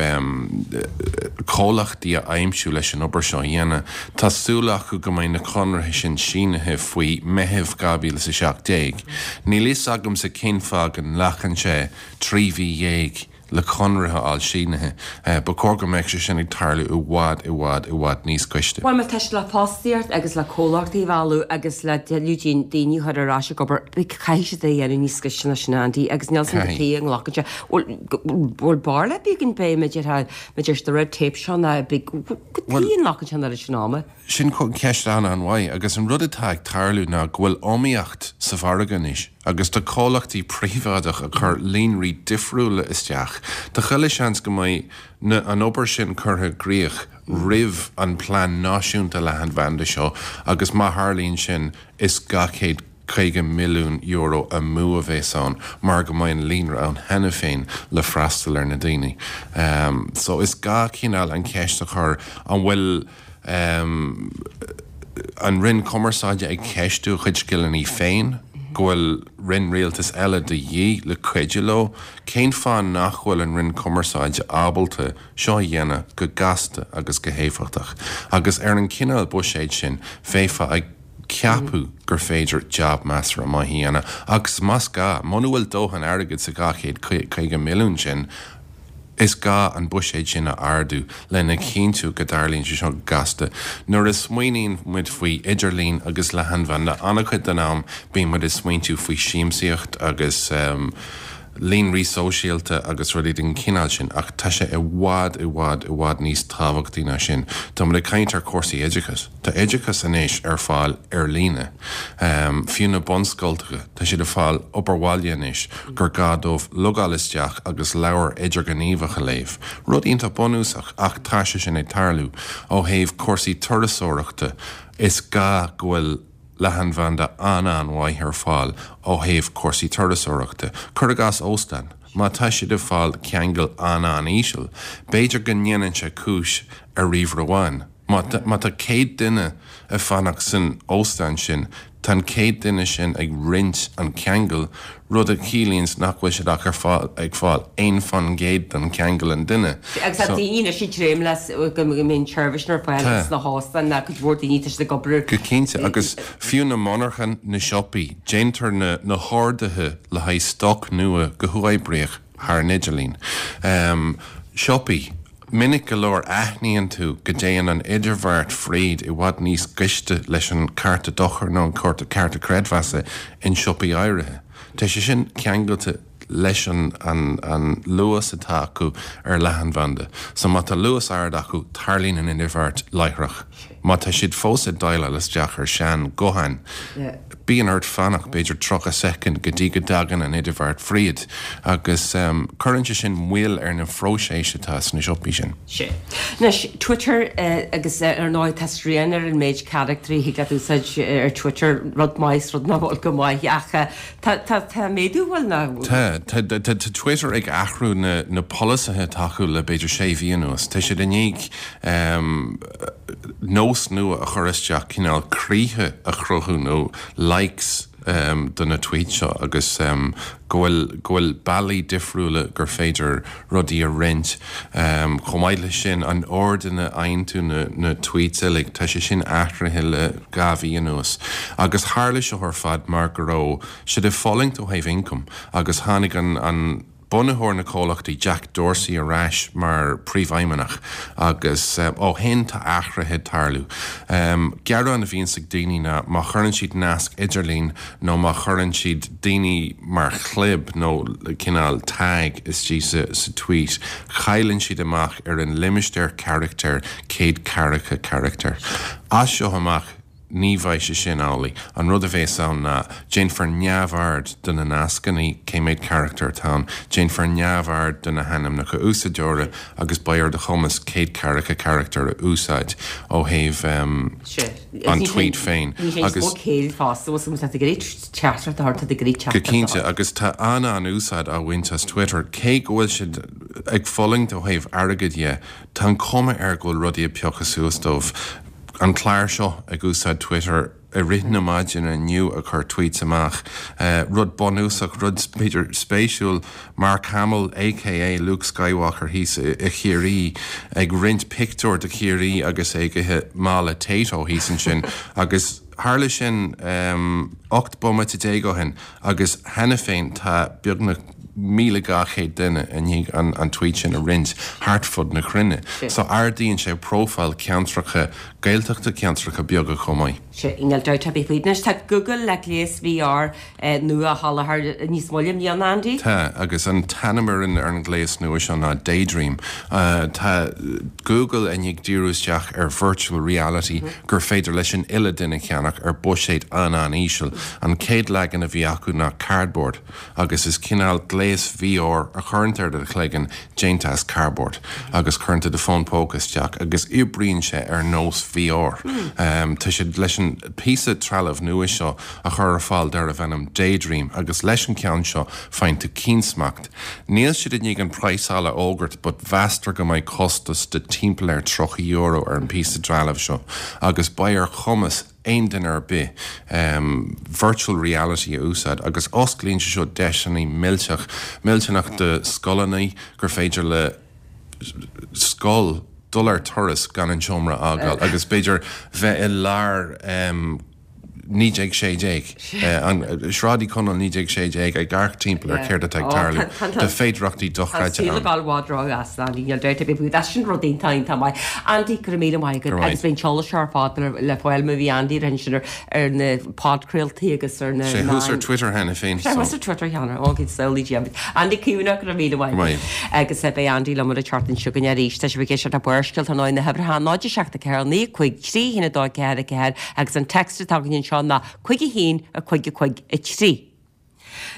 comhlachtaí a aimsiú leis an obair seo a dhéanamh. Tá súil acu go mbeidh na conarthaí sin sínithe faoi Meitheamh 2017. Níl fhios agamsa cén fáth go nglacann sé 13 mhí le conradh a fháil sínithe. Ba chóir go mbeadh sé sin ag tarlú i bhfad, i bhfad, i bhfad níos gaiste. Bhuel, má tá sé le fostaíocht agus le comhlachtaí a mhealladh agus le tuilleadh daoine a chur ar ais ag obair, caithfidh siad é a dhéanamh níos gaiste ná sin, Andy, agus níl 'fhios a'm cad chuige a nglacann sé. Bhfuil barúil ar bith againn b'fhéidir maidir leis na red tape seo ná cad chuige a nglacann sé an oiread sin ama. Sin ceist an-an-mhaith agus an rud atá ag tarlú ná go bhfuil iomaíocht sa mhargadh anois agus tá comhlachtaí príobháideach ag cur líonraí difriúla isteach. Tá chuile seans go mbeidh na an obair sin curtha i gcrích roimh an plean náisiúnta leathanbhanda seo agus má tharlaíonn sin is €250 milliún amú a bheas ann mar go mbeidh an líonra ann cheana féin le freastal ar na daoine. So is gá cineál an cheist a chur an bhfuil an Roinn Cumarsáide ag ceistiú a chuid scileanna féin, go bhfuil roinn rialtais eile de dhíth le cuidiú leo? Cén fáth nach bhfuil an Roinn Cumarsáide ábalta seo a dhéanamh go gasta agus go héifeachtach? Agus ar an chineál buiséid sin, bheifeá ag ceapadh gur féidir jab measartha maith a dhéanamh agus más gá, muna bhfuil dóthain airgid sa 250 milliún sin, is gá an buiséad sin a ardú lena chinntiú go dtarlaíonn sé seo go gasta. Nuair a smaoiníonn muid faoi idirlíon agus leathanbhanda, an-chuid den am bíonn muid ag smaointiú faoi siamsaíocht agus. Líonraí sóisialta agus rudaí den chineál sin, ach tá sé i bhfad, i bhfad, i bhfad níos tábhachtaí ná sin. Tá muid ag caint ar chúrsaí oideachais. Tá oideachas anois ar fáil ar líne. Fiú na bunscoltacha, tá siad ag fáil obair bhaile anois gur gá dóibh logáil isteach agus leabhar idirghníomhach a léamh. Rud iontach bunúsach, ach tá sé sin ag tarlú. Ó thaobh cúrsaí turasóireachta, is gá go bhfuil. leathanbhanda an-an-mhaith ar fáil ó thaobh cúrsaí turasóireachta. Cuir i gcás óstán, má tá siad ag fáil ceangal an-an-íseal, b'fhéidir go ndéanann sé cúis ar ríomhaire amháin. Má má tá 100 duine ag fanacht san óstán sin, tá an 100 duine sin ag roinnt an ceangal, rud a chiallaíonns nach bhfuil siad ach ar fáil ag fáil 1% den cheangal an duine. Agus tá daoine anois ag dréim le go mbeidh an tseirbhís ar fáil sna hóstáin ná cuid mhór daoine tá siad ag obair. Go cinnte, agus fiú na monarchain, na siopaí, déantar na na horduithe le haghaidh stoc nua go huathoibríoch thar an idirlíon. Siopaí, minic go leor aithníonn tú go dtéann an idirbheart fríd i bhfad níos gaiste leis an cárta dochair nó an cárta creidmheasa in siopaí áirithe. Tá sé sin ceangailte leis an an luas atá acu ar leathanbhanda. So má tá luas ard acu, tarlaíonn an idirbheart láithreach. Má tá siad fós ag dialáil isteach ar sean gutháin, bíonn ort fanacht b'fhéidir 30 soicind go dtí go dtagann an idirbheart fríd agus cuireann sé sin moill ar na phróiseas atá sna siopaí sin. Sea. Anois, Twitter agus ar ndóigh tá srian ar an méid carachtair a thig leat úsáid ar Twitter, rud maith is rud nach bhfuil go maith ach tá tá tá méadú bhfuil nach bhfuil? Tá. Tá tá tá Twitter ag athrú na na polasaithe atá acu le b'fhéidir sé mhí anuas. Tá siad i ndiaidh nós nua a chur isteach, cineál croíthe a chruthú nó likes do na tweets seo agus go bhfuil go bhfuil bealaí difriúla gur féidir rudaí a roinnt. Chomh maith leis sin, an ord ina fhaigheann tú na na tweets uilig, tá sé sin athraithe le 2 mhí anuas. Agus tharla seo ar fad mar go raibh siad ag fulaingt ó thaobh ioncaim agus tháinig an an bunaitheoir na comhlachtaí, Jack Dorsey ar ais mar príomhfheidhmeannach agus ó shin tá athruithe ag tarlú. Gearán a bhíonns ag daoine ná má chuireann siad nasc idirlín nó má chuireann siad daoine mar chlib nó cineál tag istigh sa sa tweet, cailleann siad amach ar an limistéar carachtair, 140 carachtar. As seo amach, Ní bheidh sé sin amhlaidh. An rud a bhéas ann ná, déanfar neamhaird de na nascanna, cé méad carachtar atá ann, déanfar neamhaird de na hainmneacha úsáideora agus beidh ar do chumas 140 carachtar a úsáid ó thaobh an tweet féin. Agus. Go cinnte, agus tá an-an-úsáid á bhaint as Twitter, cé go bhfuil siad ag fulaingt ó thaobh airgid dhe, tá an chuma air go bhfuil rudaí ag piocadh suas dóibh. An clár seo ag úsáid Twitter i rith na maidine inniu ag cur tweets amach. Rud bunúsach, rud b'fhéidir spéisiúil, Mark Hamill aka Luke Skywalker thíos i Chiarraí ag roinnt pictiúr de Chiarraí agus é ag ithe mála Tayto thíos ansin agus tharla sin 18 bomaite ó shin agus cheana féin tá beagnach 1,200 duine i ndiaidh an tweet sin a roinnt thart fud na cruinne. So ardaíonn sé profile ceantracha Gaeltachta, ceantracha beaga chomh maith. Sea, níl dabht ar bith faoi. Anois tá Google le gléas VR nua a sholáthar níos moille i mbliana, Andy. Tá, agus an t-ainm ar an ar an ghléas nua seo ná Daydream. Tá Google i ndiaidh díriú isteach ar virtual reality gur féidir leis an uile duine ceannach ar buiséad an-an-íseal. An chéad leagan a bhí acu ná Cardboard. agus is cineál gléas VR a chuireann tú ar do chloigeann déanta as cardboard agus cuireann tú do fón póca isteach agus oibríonn sé ar nós VR. Tá siad leis an píosa trealamh nua seo a chur ar fáil darbh ainm Daydream agus leis an ceann seo faigheann tú ciansmacht. Níl siad i ndiaidh an praghsáil a fhógairt but mheastar go mbeidh costas de timpeall ar €30 ar an píosa trealamh seo agus beidh ar chumas aon duine ar bith virtual reality a úsáid agus osclaíonn sé seo deiseanna millteach, millteanach do scoileanna gur féidir le scoil dul ar turas gan an seomra a fhágáil agus b'fhéidir bheith i lár. 1916, Sráid Uí Chonaill 1916 ag amharc timpeall ar céard atá ag tarlú. Tá féidearthachtaí dochreidte ann. Tá saol ag dul i bhfad róghasta, Andy, níl dabht ar bith faoi. Sin rud iontach, iontach maith. Andy, go raibh míle maith agat agus beidh an t-eolas seo ar fad le fáil má bhí Andy ar ansin ar na podchraoltaí agus ar na Sé thuas ar Twitter cheana féin. Sé thuas ar Twitter cheana, ó bhí saol Dia. Andy Caomhánach, go raibh míle maith agat. Agus beidh Andy liom an tseachtain seo chugainn arís. Tá sibh ag éisteacht le Barrscéalta ar ndóigh na huimhreacha 0 7 4 9 5 3 1 2 4 4 agus an text atá againn anseo ná 5 1 5 5 3.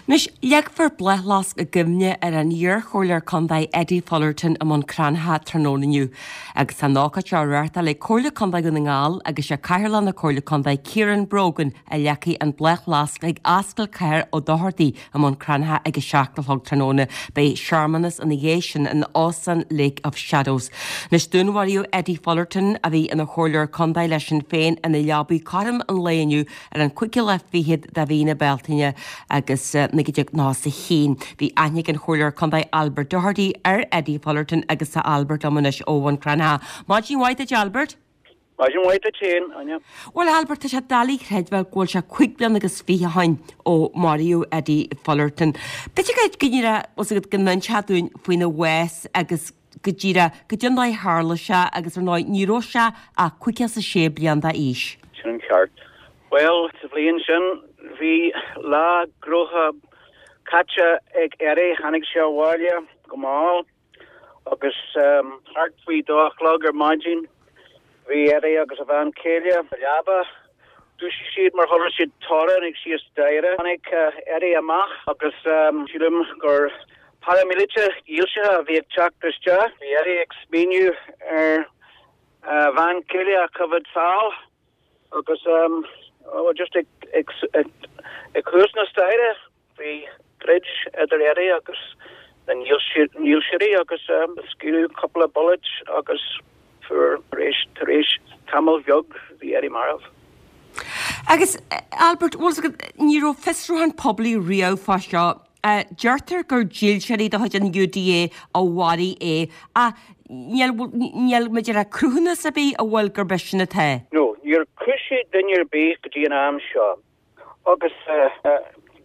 Anois, leagfar bláthfhleasc i gcuimhne ar an iar-chomhairleoir contae Eddie Fullerton i mBun Cranncha tráthnóna inniu. Agus tá an ócáid seo á reáchtáil ag Comhairle Contae Dhún na nGall agus sé Cathaoirleach na Comhairle Contae Ciarán Brogan a leagfaidh an bláthfhleasc ag Ascaill Chathair Ó Dochartaigh i mBun Cranncha ag a 7 a chlog tráthnóna. Beidh searmanas ina dhiaidh sin in Óstán Lake of Shadows. Anois, dúnmharaíodh Eddie Fullerton, a bhí ina chomhairleoir contae le Sinn Féin, ina leabaidh cothrom an lae inniu ar an cúigiú lá fichead de mhí na Bealtaine agus 1991. Bhí aithne ag an Chomhairleoir Contae Albert Doherty ar Eddie Fullerton agus tá Albert liom anois ó Bhun Cranncha. Maidin mhaith duit Albert. Maidin mhaith duit féin, Áine. Bhuel Albert, tá sé doiligh a chreidbheáil go bhfuil sé cuig bliana agus 20 ó shin ó maraíodh Eddie Fullerton. B'fhéidir go go bhfuil a fhios agat go n-inseofá dúinn faoina bhás agus go díreach goidé an dóigh a tharla sé agus ar ndóigh ní raibh sé ach 56 bliain d'aois. Sin an ceart. Bhuel, sa bhliain sin bhí lá gnóthach caite ag Eddie, tháinig sé abhaile go mall agus thart faoi dó a chlog ar maidin bhí Eddie agus a bhean chéile sa leaba. Dhúisigh siad mar chuala siad torann ag síos staighre. Tháinig Eddie amach agus sílim gur paraimíleataigh dhílsithe a bhí ag teacht isteach. Bhí Eddie ag smaoineamh ar a bhean chéile a choimhéad sall agus just ag ag thuas na staighre. Bhí troid idir Eddie agus na ndílseoirí agus scaoileadh cúpla bullet agus fuair tar éis tamaill bheag bhí Eddie marbh. Agus Albert, bhfuil a fhios agat, ní raibh fiosrúchán poiblí riamh fá seo. Deirtear gur dílseoirí de chuid an UDA a mharaigh é ach níl, níl maidir le cruthúnas ar bith a bhfuil gurb é sin atá. No, níor cúisíodh duine ar bith go dtí an am seo. Agus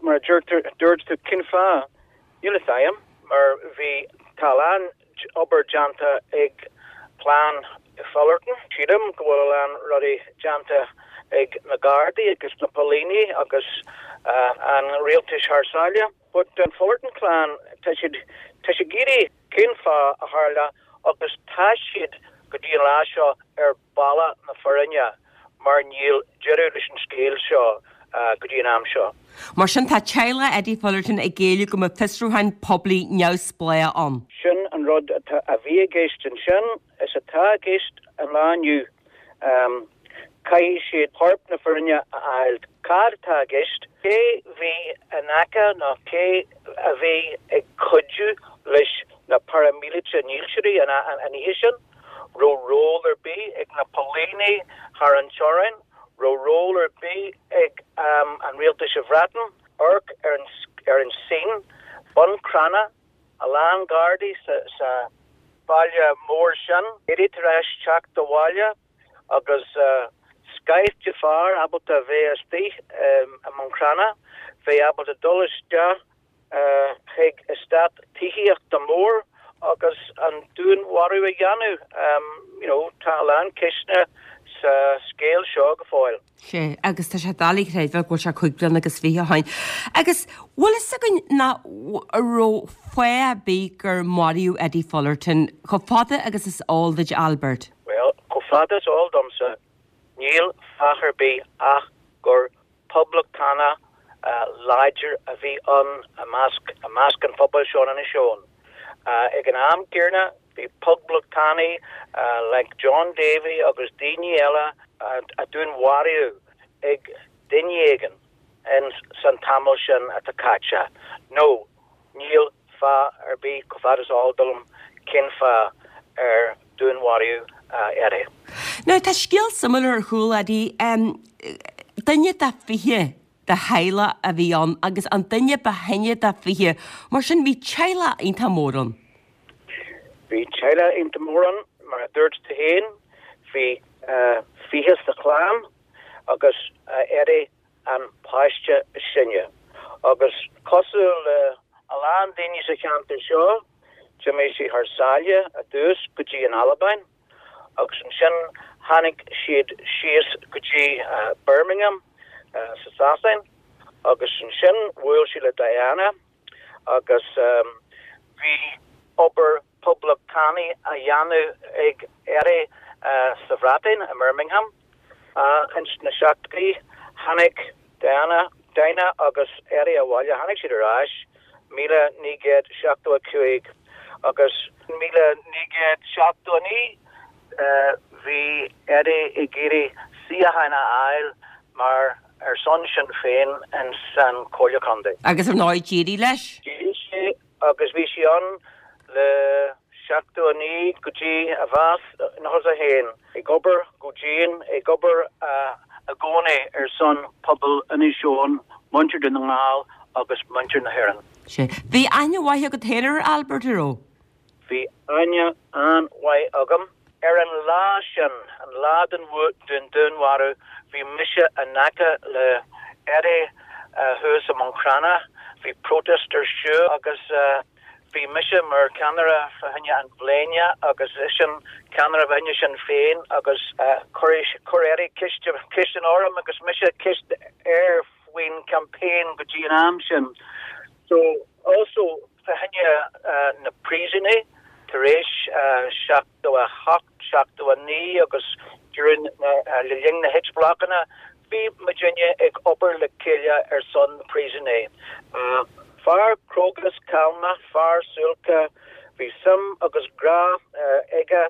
mar a deirtear, dúirt tú, cén fáth? Níl fhios a'm, mar bhí, tá a lán obair déanta ag clann Fullerton. Sílim go bhfuil a lán rudaí déanta ag na Gardaí agus na póilíní agus an rialtais thar sáile. But an Fullerton clan, tá siad, tá siad ag iarraidh cén fáth a tharla agus tá siad go dtí an lá seo ar bealach na fírinne mar níl deireadh leis an scéal seo go dtí an am seo. Mar sin tá teaghlach Eddie Fullerton ag éileamh go mbeadh fiosrúchán poiblí neamhspleách ann. Sin an rud atá, a bhí i gceist ansin is atá i gceist an lá inniu. Caithfidh siad corp na fírinne a fháil. Cad atá i gceist? Cé bhí in aice nó cé a bhí ag cuidiú leis na paraimíleataigh ndílseoirí an oíche sin? raibh ról ar bith ag na póilíní thar an teorainn, raibh ról ar bith ag an rialtas sa Bhreatain, amharc ar an ar an scene, Bun Cranncha, a lán Gardaí sa sa baile mór sin, Eddie tar éis teacht abhaile agus scaifte fear ábalta a bheith istigh i mBun Cranncha, bheith ábalta dul isteach chuig eastát tithíochta mór agus an dúnmharú a dhéanamh. You know, tá a lán ceisteanna sa scéal seo go fóill. Sea, agus tá sé doiligh a chreidbheáil go bhfuil sé cuig bliana agus 20 ó shin. Agus bhfuil fhios againn ná raibh fáth ar bith gur maraíodh Eddie Fullerton, chomh fada agus is eol duit, Albert? Bhuel, chomh fada is eol domsa, níl fáth ar bith ach gur Poblachtánach láidir a bhí ann i measc i measc an phobail seo in Inis Eoghain. Ag an am céanna bhí poblachtánaigh like John Davey agus daoine eile a dúnmharaíodh ag duine éigin in san tamall sin atá caite. No, níl fáth ar bith, chomh fada is eol dom, cén fáth ar dúnmharaíodh Eddie. Now tá scéal suimiúil ar chúl Eddie. Duine de 20 de theaghlach a bhí ann agus an duine ba shine de 20. Mar sin bhí teaghlach iontach mór ann. Bhí teaghlach iontach mór ann, mar a dúirt tú féin, bhí 20 sa chlann. agus Eddie an páiste is sine. Agus cosúil le a lán daoine sa cheantar seo, d'imigh sé thar sáile i dtús go dtí an Albain agus ansin tháinig siad síos go dtí Birmingham sa Sasain agus ansin bhuail sé le Diana agus bhí obair poblachtánaí á dhéanamh ag Eddie sa Bhreatain, i mBirmingham. Ins na seachtóidí tháinig Diana, Dinah agus Eddie abhaile, tháinig siad ar ais 1975 agus 1979 bhí Eddie ag iarraidh suíochán a fháil mar ar son Sinn Féin ins an Chomhairle Contae. Agus ar ndóigh d'éirigh leis. D'éirigh sé agus bhí sé ann le 79 go dtí a bhás i 91, ag obair go dian, ag obair i gcónaí ar son pobal Inis Eoghain, muintir Dhún na nGall agus muintir na hÉireann. Sea. Bhí aithne mhaith agat féin ar Albert, an raibh? Bhí aithne an-mhaith agam. Ar an lá sin, an lá den dúnmharú, bhí mise in aice le Eddie thuas i mBun Cranncha. Bhí protest ar siúl agus bhí mise mar cheannaire fá choinne an bhléine agus eisean ceannaire fá choinne Sinn Féin agus chuir Eddie ceisteanna orm agus mise ceist air faoin campaign go dtí an am sin. So also fá choinne na príosúnaigh tar éis 78, 79 agus during le linn na H-Blockanna bhí muidinne ag obair le chéile ar son na príosúnaigh. Fear cróga is calma, fear suailce, bhí suim agus grá aige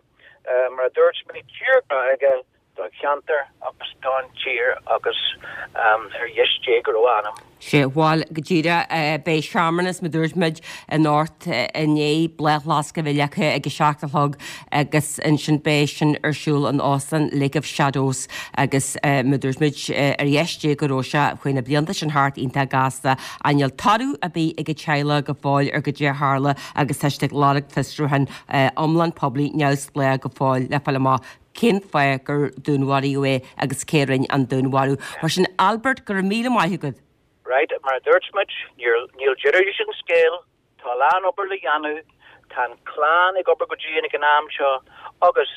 mar a dúirt mé tírghrá aige don cheantar agus don tír agus ar dheis Dé go raibh a anam. Sea, bhuel, go díreach, beidh searmanas, mar dúirt muid, anocht i ndiaidh bláth lasca a bheith leagtha ag a 7 a chlog agus ansin beidh sin ar siúl in Óstán Lake of Shadows agus mar dúirt muid, ar dheis Dé go raibh sé, chuaigh na blianta sin thart iontach gasta ach níl toradh ar bith ag an teaghlach go fóill ar goidé a tharla agus tá siad ag lorg fiosrúchán iomlán poiblí neamhspleách go fóill le fáil amach cén fáth gur dúnmharaíodh é agus cé a rinne an dúnmharú. Mar sin, Albert, go raibh míle maith agat. Right, mar a dúirt muid, níl deireadh leis an scéal, tá a lán obair le dhéanamh, tá an clann ag obair go dian ag an am seo agus,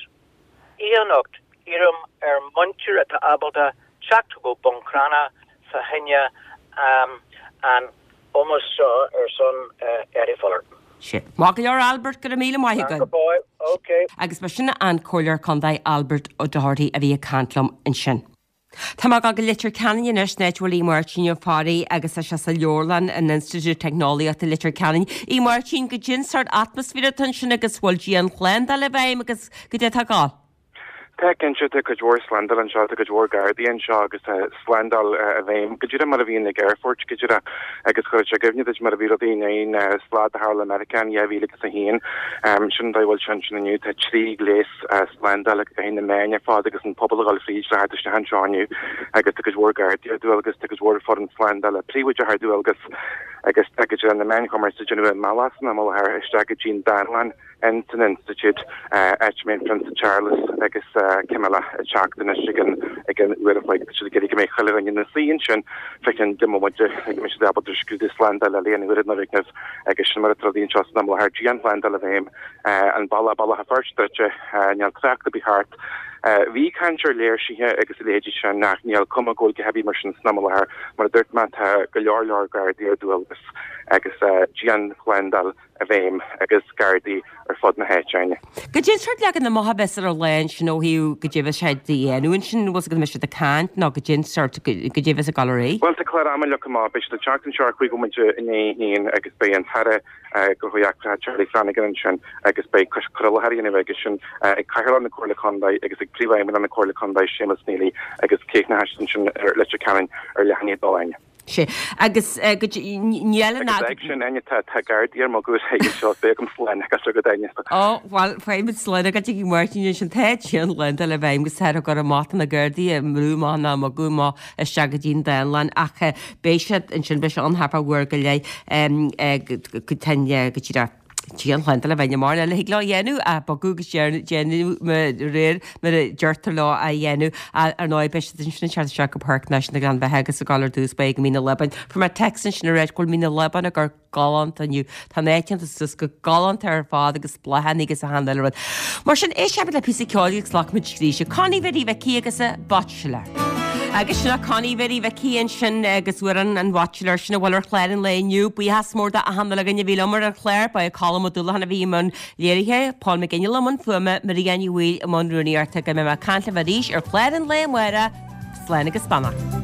oíche anocht, iarraim ar muintir atá ábalta teacht go Bun Cranncha fá choinne an ómós seo ar son Eddie Fullerton. Sea. Maith go leor Albert, go raibh míle maith agat. Go fóill, ok. Agus ba sin an Comhairleoir Contae Albert O'Doherty a bhí ag caint liom ansin. Tá mé ag dul go Leitir Ceanainn anois, an áit a bhfuil Aodh Máirtín Ó Fearraigh agus tá sé sa leabharlann in Institiúid Teicneolaíochta Leitir Ceanainn. A Mháirtín, goidé an sórt atmaisféar atá ansin agus bhfuil dianshlándáil i bhfeidhm agus goidé atá ag dul? Tá cinnte, tá cuid mhór slándáil anseo, tá cuid mhór gardaí anseo agus tá slándáil i bhfeidhm go díreach mar a bhíonn ag aerfoirt go díreach agus chuirfeadh sé i gcuimhne duit mar a bhí rudaí i ndiaidh an slad a tharla i Meiriceá in 2001. Sin an dóigh a bhfuil sé ansin inniu, tá 3 ghléas slándála ag na meáin ar fad agus an pobal a dhul fríd le theacht isteach anseo inniu agus tá cuid mhór gardaí ar dualgas, tá cuid mhór foireann slándála príobháideach ar dualgas agus tá go dtí na meáin chumarsáide ag déanamh a mbealach san am i láthair isteach go dtí an dánlann. ins an Institiúid, áit a mbeidh an Prionsa Charles agus Camilla ag teacht anois ag an ag an uair a chloig. Tá siad ag iarraidh go mbeidh chuile dhuine ina suí ansin fá cheann 10 mbomaite le go mbeidh siad ábalta scrúdú slándála a léamh ar an fhoirgneamh agus sin mar atá rudaí anseo san am i láthair. Dianshlándáil i bhfeidhm, an bealach Bealach an Phoirt druidte, níl trácht ar bith thart. Bhí caint ar léirsithe agus a leithéidí sin ach níl cuma go bhfuil a dhath ar bith mar sin san am i láthair. Mar a dúirt mé tá go leor leor gardaí ar dualgas agus dianshlándáil i bhfeidhm agus gardaí ar fud na háite Áine. Goidé an sórt leagan amach a bheas ar an lá ansin ó thaobh goidé a bheas siad a dhéanamh ansin, bhfuil 's agat an mbeidh siad ag caint nó goidé an sórt, goidé a bheas ag dul ar aghaidh? Bhuel tá clár ama leagtha amach, beidh siad ag teacht anseo ar chúig bhomaite i ndiaidh a haon agus beidh an tAire Gnóthaí Eachtracha Charlie Flanagan ansin agus beidh cur i láthair á dhéanamh aigesean ag Cathaoirleach na Comhairle Contae agus ag Príomhfheidhmeannach na Comhairle Contae Séamus Neely agus críochnóidh siad ansin ar Leitir Ceanainn ar leath i ndiaidh a dó Áine. Sea. Agus níl an. Agus ag sin, Áine, tá gardaí ar mugadh ag anseo, beidh agam slán agus agat, Áine. Ó, bhuel, faighimid slán agat a Mháirtín ansin. Tá dianshlándáil i bhfeidhm agus táthar ag cur amach do na gardaí ag brú amach nó ag bogadh amach isteach go dtí an dánlann ach beidh siad ansin, beidh sé ann thart fá uair go leith go dtí go díreach. Dianshlándáil a bheidh mórán eile thig leo a dhéanamh ach bogadh agus déanamh de réir mar a deirtear leo a dhéanamh. Ar ndóigh, beidh siad ansin ag teacht isteach go Páirc Náisiúnta Ghleann Bheatha agus ag dul ar dtús báire go Mín an Lábáin. Fuair mé text ansin aréir go bhfuil Mín an Lábáin ag amharc galánta inniu. Tá an áit déanta suas go galánta ar fad agus bláthanna agus achan uile rud. Mar sin, éistfimid le píosa ceoil agus glacfaimid arís. Connie Mhary Mhicí agus an Bachelor. Agus sin é Connie Mhary Mhicí ansin agus amhrán an Bhachelor sin a bhfuil ar chlár an lae inniu. Buíochas mór d'achan uile dhuine a bhí liom ar an chlár. Ba é Colm Ó Dúlacháin a bhí i mbun léirithe, Paul McGinley i mbun fuaime, Maria Ní Bhaoill i mbun rúnaíochta. Go mbeidh mé ag caint libh arís ar chlár an lae amárach. Slán agus beannacht.